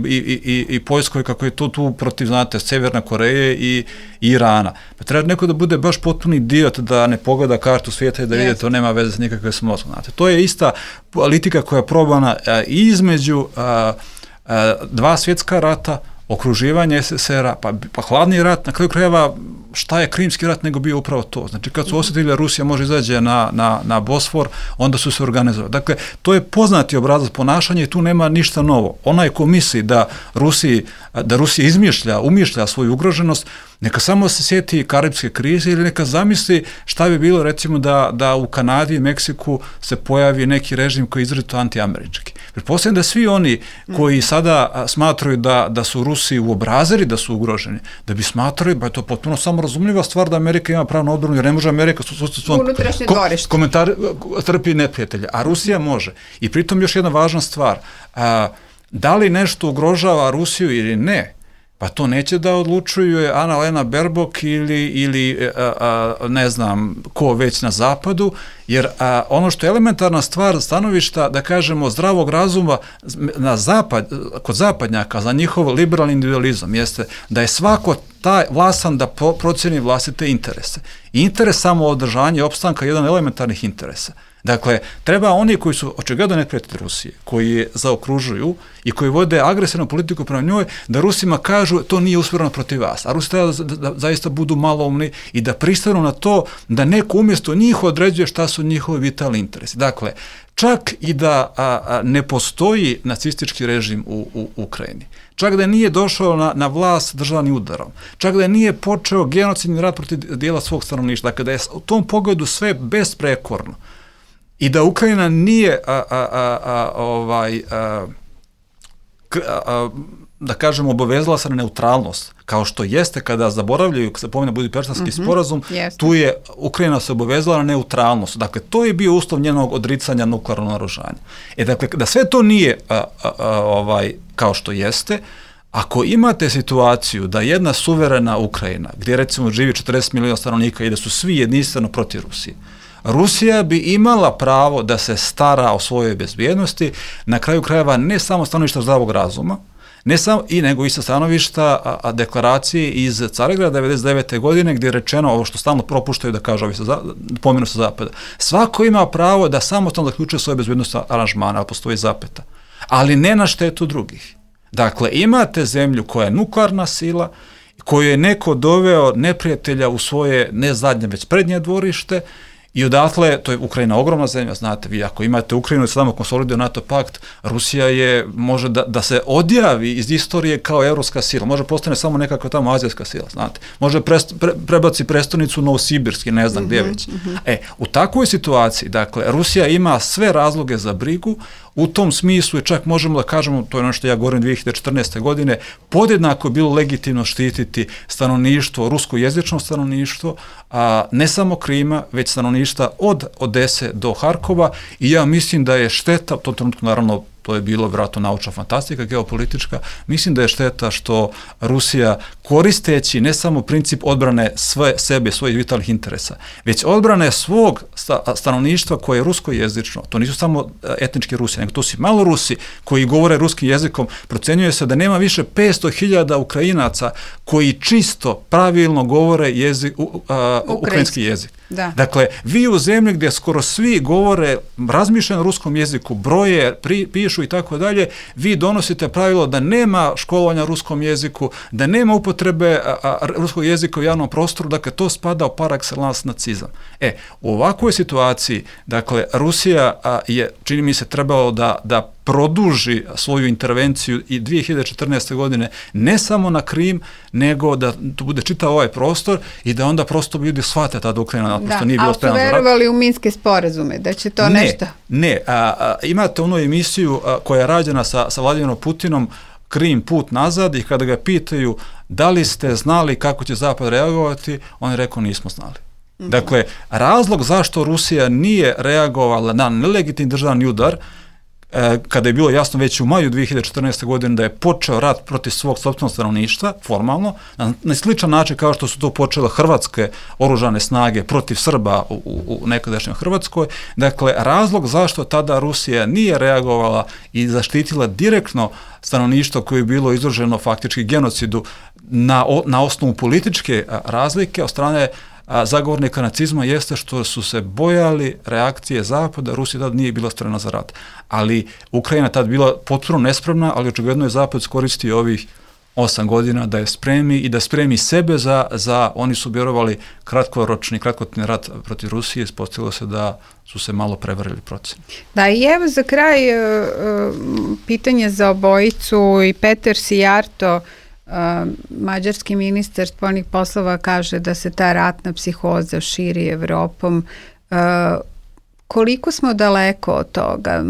i Poljskoj, kako je to tu protiv, znate, Severne Koreje i Irana. Pa treba neko da bude baš potpuni idiot da ne pogleda kartu svijeta i da vidi to nema veze s nikakve s mozgom, znate. To je ista politika koja je probana između dva svjetska rata, okruživanje SSR-a, pa hladni rat, na kraju krajeva šta je Krimski rat nego bio upravo to. Znači kad su osjetili da Rusija može izađe na Bosfor, onda su se organizovali. Dakle, to je poznati obrazac ponašanja i tu nema ništa novo. Onaj ko misli da Rusija umišlja svoju ugroženost, neka samo se sjeti karibske krize ili neka zamisli šta bi bilo recimo da u Kanadi i Meksiku se pojavi neki režim koji je izrazito antiamerički. Pretpostavljam da svi oni koji sada smatraju da su Rusi uobrazili da su ugroženi, da bi smatrali, ba je to potpuno samorazumljiva stvar da Amerika ima pravo na odbranu, jer ne može Amerika unutrašnje dvorište komentar trpi neprijatelja, a Rusija može. I pritom još jedna važna stvar, da li nešto ugrožava Rusiju ili ne, pa to neće da odlučuju Anna-Lena Baerbock ili ne znam ko već na zapadu, jer ono što je elementarna stvar stanovišta, da kažemo, zdravog razuma kod zapadnjaka za njihov liberalni individualizam jeste da je svako taj vlasan da procjeni vlastite interese. I interes samo održanja i opstanka je jedan elementarnih interesa. Dakle, treba oni koji su očigledno neprijatelji Rusije, koji je zaokružuju i koji vode agresivnu politiku prema njoj, da Rusima kažu to nije usmjereno protiv vas. A Rusi treba da zaista budu maloumni i da pristanu na to da neko umjesto njih određuje šta su njihovi vitalni interesi. Dakle, čak i da ne postoji nacistički režim u Ukrajini, čak da nije došao na vlast državnim udarom, čak da nije počeo genocidni rat protiv dijela svog stanovništva, dakle da je u tom pogledu sve besprekorno, i da Ukrajina nije da kažemo obavezala se na neutralnost, kao što jeste kada zaboravljaju, kada se pomene Budimpeštanski sporazum, tu je Ukrajina se obavezala na neutralnost. Dakle, to je bio uslov njenog odricanja nuklearnog naoružanja. Dakle, da sve to nije kao što jeste, ako imate situaciju da jedna suverena Ukrajina, gdje recimo živi 40 miliona stanovnika i da su svi jedinstveno protiv Rusije, Rusija bi imala pravo da se stara o svojoj bezbjednosti, na kraju krajeva ne samo stanovišta zdravog razuma, nego i sa stanovišta deklaracije iz Carigrada 99. godine gdje je rečeno ovo što stalno propuštaju da kažu ovi pomenu sa zapada. Svako ima pravo da samostalno zaključuje svoje bezbjednostne aranžmane, ali postoji zapeta, ali ne na štetu drugih. Dakle, imate zemlju koja je nuklearna sila, koju je neko doveo neprijatelja u svoje ne zadnje, već prednje dvorište, i odatle, to je Ukrajina ogromna zemlja, znate, vi ako imate Ukrajinu i samo konsoliduje NATO pakt, Rusija može da se odjavi iz istorije kao evropska sila, može postane samo nekakva tamo azijska sila, znate, može prebaci prestonicu Novosibirski, ne znam gdje već. U takvoj situaciji, dakle, Rusija ima sve razloge za brigu, u tom smislu je čak možemo da kažemo, to je ono što ja govorim 2014. godine, podjednako je bilo legitimno štititi stanovništvo, ruskojezično stanovništvo, ne samo Krima, već stanovništva od Odese do Harkova, i ja mislim da je šteta, u tom trenutku naravno to je bilo vjerojatno naučna fantastika, geopolitička, mislim da je šteta što Rusija, koristeći ne samo princip odbrane sebe, svojih vitalnih interesa, već odbrane svog stanovništva koje je ruskojezično, to nisu samo etnički Rusi, nego to su malo Rusi koji govore ruskim jezikom, procenjuje se da nema više 500.000 Ukrajinaca koji čisto, pravilno govore ukrajinski jezik. Da. Dakle, vi u zemlji gdje skoro svi govore razmišljeno ruskom jeziku, broje, pišu i tako dalje, vi donosite pravilo da nema školovanja ruskom jeziku, da nema upotrebe ruskog jezika u javnom prostoru, dakle to spada u par excellence nacizam. U ovakvoj situaciji, dakle, Rusija je, čini mi se, trebalo da produži svoju intervenciju i 2014. godine ne samo na Krim, nego da to bude čitav ovaj prostor i da onda prosto ljudi shvate tada Ukrajina naprosto nije bilo spremna za rat. Ali su verovali u minske sporazume, da će to nešto? Ne, imate onu emisiju koja je rađena sa Vladimirom Putinom, Krim put nazad, i kada ga pitaju da li ste znali kako će Zapad reagovati, on je rekao nismo znali. Dakle, razlog zašto Rusija nije reagovala na nelegitimni državni udar, kada je bilo jasno već u maju 2014. godine da je počeo rat protiv svog sopstvenog stanovništva, formalno, na sličan način kao što su to počele hrvatske oružane snage protiv Srba u nekadašnjoj Hrvatskoj. Dakle, razlog zašto tada Rusija nije reagovala i zaštitila direktno stanovništvo koje je bilo izloženo faktički genocidu na osnovu političke razlike od strane zagovornika nacizma, jeste što su se bojali reakcije Zapada. Rusija tad nije bila spremna za rat. Ali Ukrajina tad bila potpuno nespremna, ali očigledno je Zapad iskoristio ovih 8 godina da je spremi i da spremi sebe za oni su vjerovali kratkotni rat protiv Rusije, ispostavilo se da su se malo prevarili procene. Da, i evo za kraj pitanje za obojicu i Peter Sijarto, mađarski ministar spoljnih poslova, kaže da se ta ratna psihoza širi Evropom. Koliko smo daleko od toga?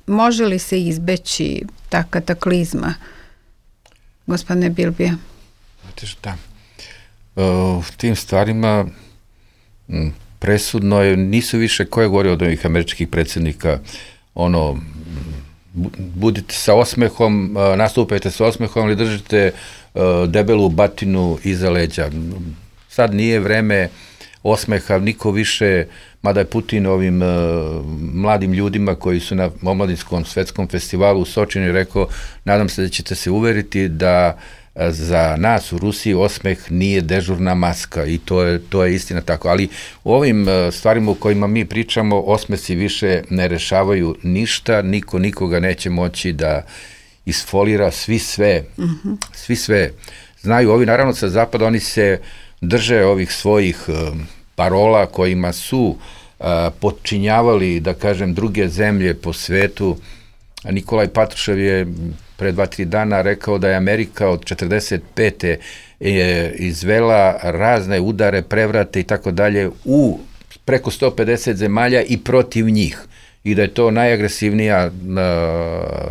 Može li se izbeći ta kataklizma, gospodine Bilbija? Znate šta, u tim stvarima presudno je, nisu više, ko je govorio od ovih američkih predsjednika, budite sa osmehom, nastupajte sa osmehom ili držite debelu batinu iza leđa. Sad nije vreme osmeha, niko više, mada je Putin ovim mladim ljudima koji su na omladinskom svetskom festivalu u Sočinu rekao, nadam se da ćete se uveriti da za nas u Rusiji osmeh nije dežurna maska i to je istina tako. Ali u ovim stvarima u kojima mi pričamo, osmesi više ne rešavaju ništa, niko nikoga neće moći da isfolira, svi sve znaju. Ovi naravno sa zapada, oni se drže ovih svojih parola kojima su potčinjavali, da kažem, druge zemlje po svetu. Nikolaj Patrušev je pre 2-3 dana rekao da je Amerika od 45. izvela razne udare, prevrate i tako dalje u preko 150 zemalja i protiv njih. I da je to najagresivnija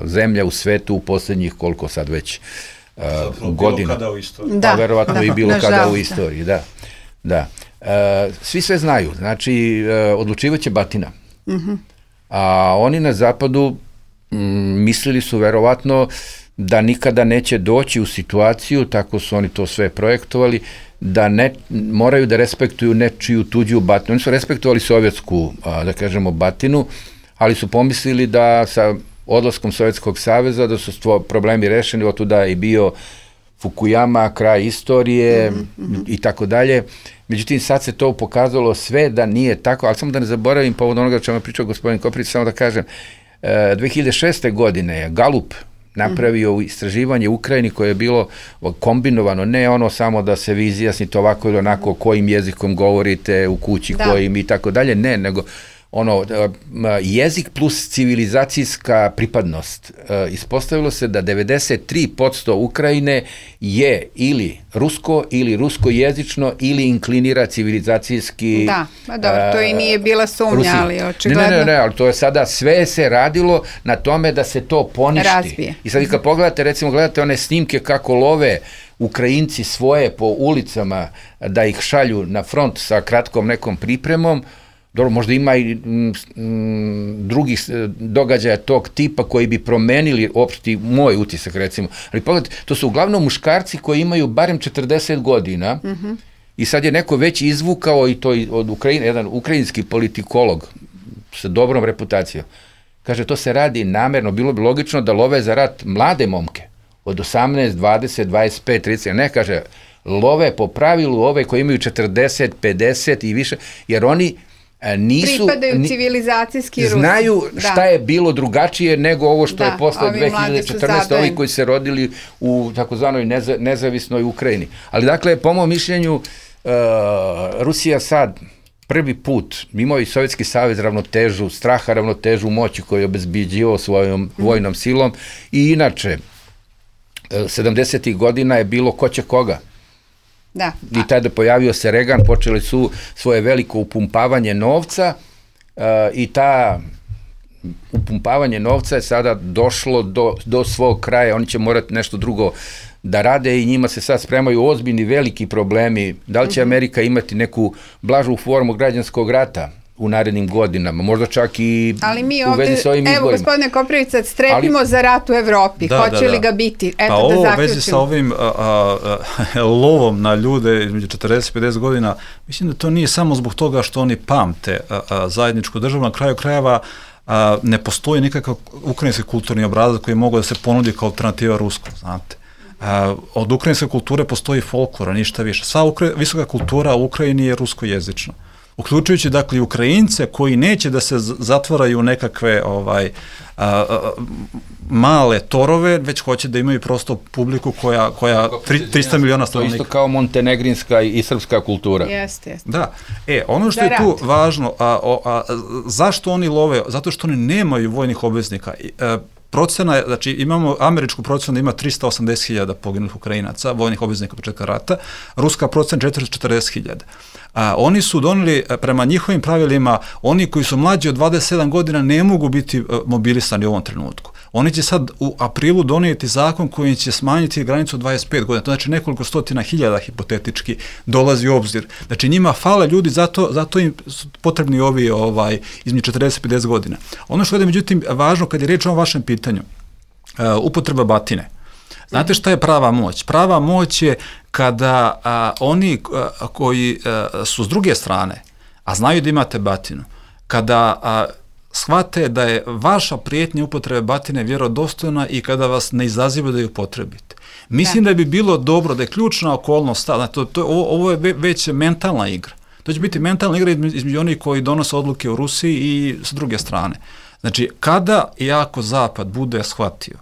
zemlja u svetu u posljednjih koliko sad već godina. Bilo kada u istoriji. Pa verovatno i bilo kada u istoriji, da. Svi sve znaju, znači odlučivaće batina. A oni na zapadu mislili su verovatno da nikada neće doći u situaciju, tako su oni to sve projektovali, da moraju da respektuju nečiju tuđu batinu. Oni su respektovali sovjetsku, da kažemo, batinu, ali su pomislili da sa odlaskom Sovjetskog saveza da su problemi rešeni, otuda je i bio Fukuyama, kraj istorije i tako dalje. Međutim, sad se to pokazalo sve da nije tako, ali samo da ne zaboravim povod onoga o čemu je pričao gospodin Koprivić, samo da kažem, 2006. godine je Galup napravio istraživanje u Ukrajini koje je bilo kombinovano, ne ono samo da se vi izjasnite ovako ili onako kojim jezikom govorite u kući, kojim i tako dalje, ne, nego jezik plus civilizacijska pripadnost. Ispostavilo se da 93% Ukrajine je ili rusko ili ruskojezično ili inklinira civilizacijski. Da, pa dobro, to i nije bila sumnja, ali očigledno. Ne, ali to je sada, sve se radilo na tome da se to poništi. Razbije. I sad kad pogledate, recimo gledate one snimke kako love Ukrajinci svoje po ulicama da ih šalju na front sa kratkom nekom pripremom, dobro, možda ima i drugih događaja tog tipa koji bi promenili opšti moj utisak, recimo. Ali pogledajte, to su uglavnom muškarci koji imaju barem 40 godina i sad je neko već izvukao i to od Ukrajine, jedan ukrajinski politikolog sa dobrom reputacijom. Kaže, to se radi namerno, bilo bi logično da love za rat mlade momke od 18, 20, 25, 30, ne, kaže, love po pravilu ove koji imaju 40, 50 i više, jer oni pripadaju civilizacijski Rusi. Znaju šta je bilo drugačije nego ovo što je posle 2014. Ovi koji se rodili u takozvanoj nezavisnoj Ukrajini. Ali dakle, po mom mišljenju, Rusija sad prvi put, imao i Sovjetski savez ravnotežu, straha ravnotežu moći koju je obezbeđivao svojom vojnom silom i inače, 70. godina je bilo ko će koga. Da. I tada pojavio se Reagan, počeli su svoje veliko upumpavanje novca i ta upumpavanje novca je sada došlo do svog kraja, oni će morati nešto drugo da rade i njima se sad spremaju ozbiljni veliki problemi, da li će Amerika imati neku blažu formu građanskog rata u narednim godinama, možda čak i u vezi sa ovim izborima. Evo, gospodine Koprivica, strepimo za rat u Evropi. Hoće li ga biti? Eto, da zaključimo. Pa ovo u vezi sa ovim lovom na ljude između 40 i 50 godina, mislim da to nije samo zbog toga što oni pamte zajedničku državu. Na kraju krajeva ne postoji nikakav ukrajinski kulturni obrazac koji mogu da se ponudi kao alternativa ruskom, znate. Od ukrajinske kulture postoji folklora, ništa više. Sva visoka kultura u Ukrajini je ruskojezična. uključujući dakle i Ukrajince koji neće da se zatvaraju u nekakve male torove, već hoće da imaju prosto publiku koja 300 miliona stanovnika. To isto kao montenegrinska i srpska kultura. Jeste. Da. Ono što je tu važno, zašto oni love? Zato što oni nemaju vojnih obveznika. Procena je, znači imamo američku procenu da ima 380.000 poginulih Ukrajinaca, vojnih obveznika početka rata, ruska procena 440.000. Oni su doneli, prema njihovim pravilima, oni koji su mlađi od 27 godina ne mogu biti mobilisani u ovom trenutku. Oni će sad u aprilu donijeti zakon koji će smanjiti granicu od 25 godina. To znači nekoliko stotina hiljada hipotetički dolazi u obzir. Znači njima fale ljudi, zato im su potrebni ovi između 40 i 50 godina. Ono što je međutim važno kad je riječ o vašem pitanju, upotreba batine. Znate šta je prava moć? Prava moć je kada oni koji su s druge strane, a znaju da imate batinu, kada shvate da je vaša prijetnja upotrebe batine vjerodostojna i kada vas ne izaziva da ju upotrebite. Mislim da bi bilo dobro, da je ključna okolnost, ovo je već mentalna igra. To će biti mentalna igra između onih koji donose odluke u Rusiji i s druge strane. Znači, kada i ako Zapad bude shvatio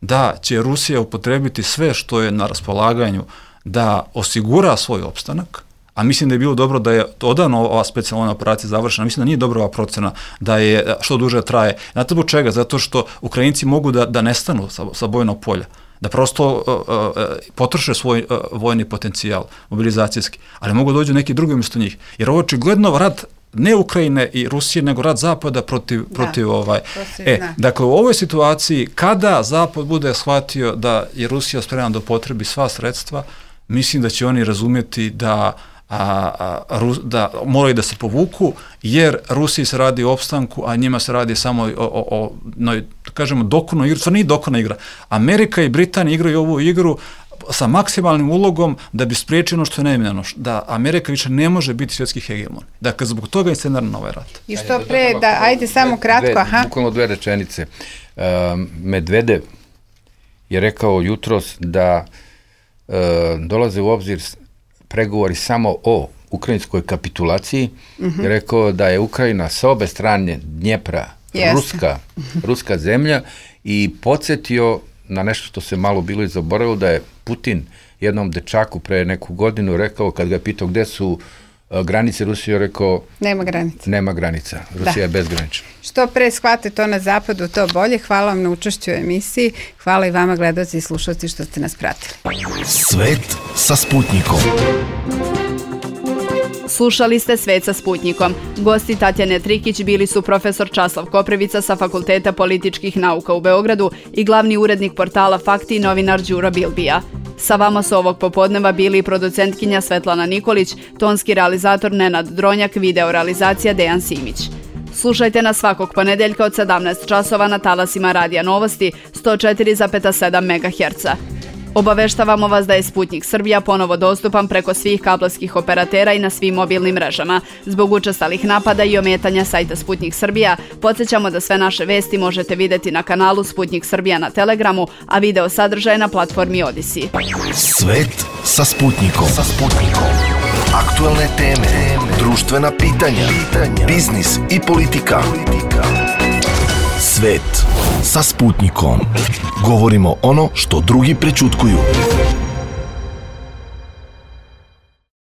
da će Rusija upotrebiti sve što je na raspolaganju da osigura svoj opstanak, a mislim da je bilo dobro da je odavno ova specijalna operacija završena, mislim da nije dobra ova procena da je što duže traje. Znate zbog čega? Zato što Ukrajinci mogu da nestanu sa bojnog polja, da prosto potroše svoj vojni potencijal, mobilizacijski, ali mogu dođu neki drugi umjesto njih. Jer ovo očigledno rat ne Ukrajine i Rusije, nego rat Zapada protiv dakle, u ovoj situaciji, kada Zapad bude shvatio da je Rusija spremna da upotrebi sva sredstva, mislim da će oni razumjeti da moraju da se povuku, jer Rusiji se radi o opstanku, a njima se radi samo o kažemo, dokonoj igri. To nije dokona igra. Amerika i Britanija igraju ovu igru sa maksimalnim ulogom da bi spriječio ono što je neminovno, da Amerika više ne može biti svjetski hegemon. Dakle, zbog toga je scenar na ovaj rat. I što pre, ajde samo kratko, Bukvalno 2 rečenice. Medvedev je rekao jutros da dolaze u obzir pregovori samo o ukrajinskoj kapitulaciji. Je rekao da je Ukrajina sa obe strane Dnjepra ruska zemlja i podsjetio na nešto što se malo bilo i zaboravilo, da je Putin jednom dečaku pre neku godinu rekao, kad ga je pitao gde su granice Rusije, rekao nema granica. Rusija je bezgranična. Što pre shvate to na zapadu, to bolje. Hvala vam na učešću u emisiji. Hvala i vama, gledaoci i slušalci, što ste nas pratili. Svet sa Sputnikom. Slušali ste Svet sa Sputnikom. Gosti Tatjane Trikić bili su profesor Časlav Koprivica sa Fakulteta političkih nauka u Beogradu i glavni urednik portala Fakti, novinar Đuro Bilbija. Sa vama su ovog popodneva bili i producentkinja Svetlana Nikolić, tonski realizator Nenad Dronjak, video realizacija Dejan Simić. Slušajte nas svakog ponedeljka od 17 časova na talasima Radija Novosti 104,7 MHz. Obaveštavamo vas da je Sputnik Srbija ponovo dostupan preko svih kablovskih operatera i na svim mobilnim mrežama. Zbog učestalih napada i ometanja sajta Sputnik Srbija, podsjećamo da sve naše vesti možete vidjeti na kanalu Sputnik Srbija na Telegramu, a video sadržaj na platformi Odisi. Svet sa Sputnikom. Aktualne teme, društvena pitanja, biznis i politika. Svet sa Sputnikom. Govorimo ono što drugi prećutkuju.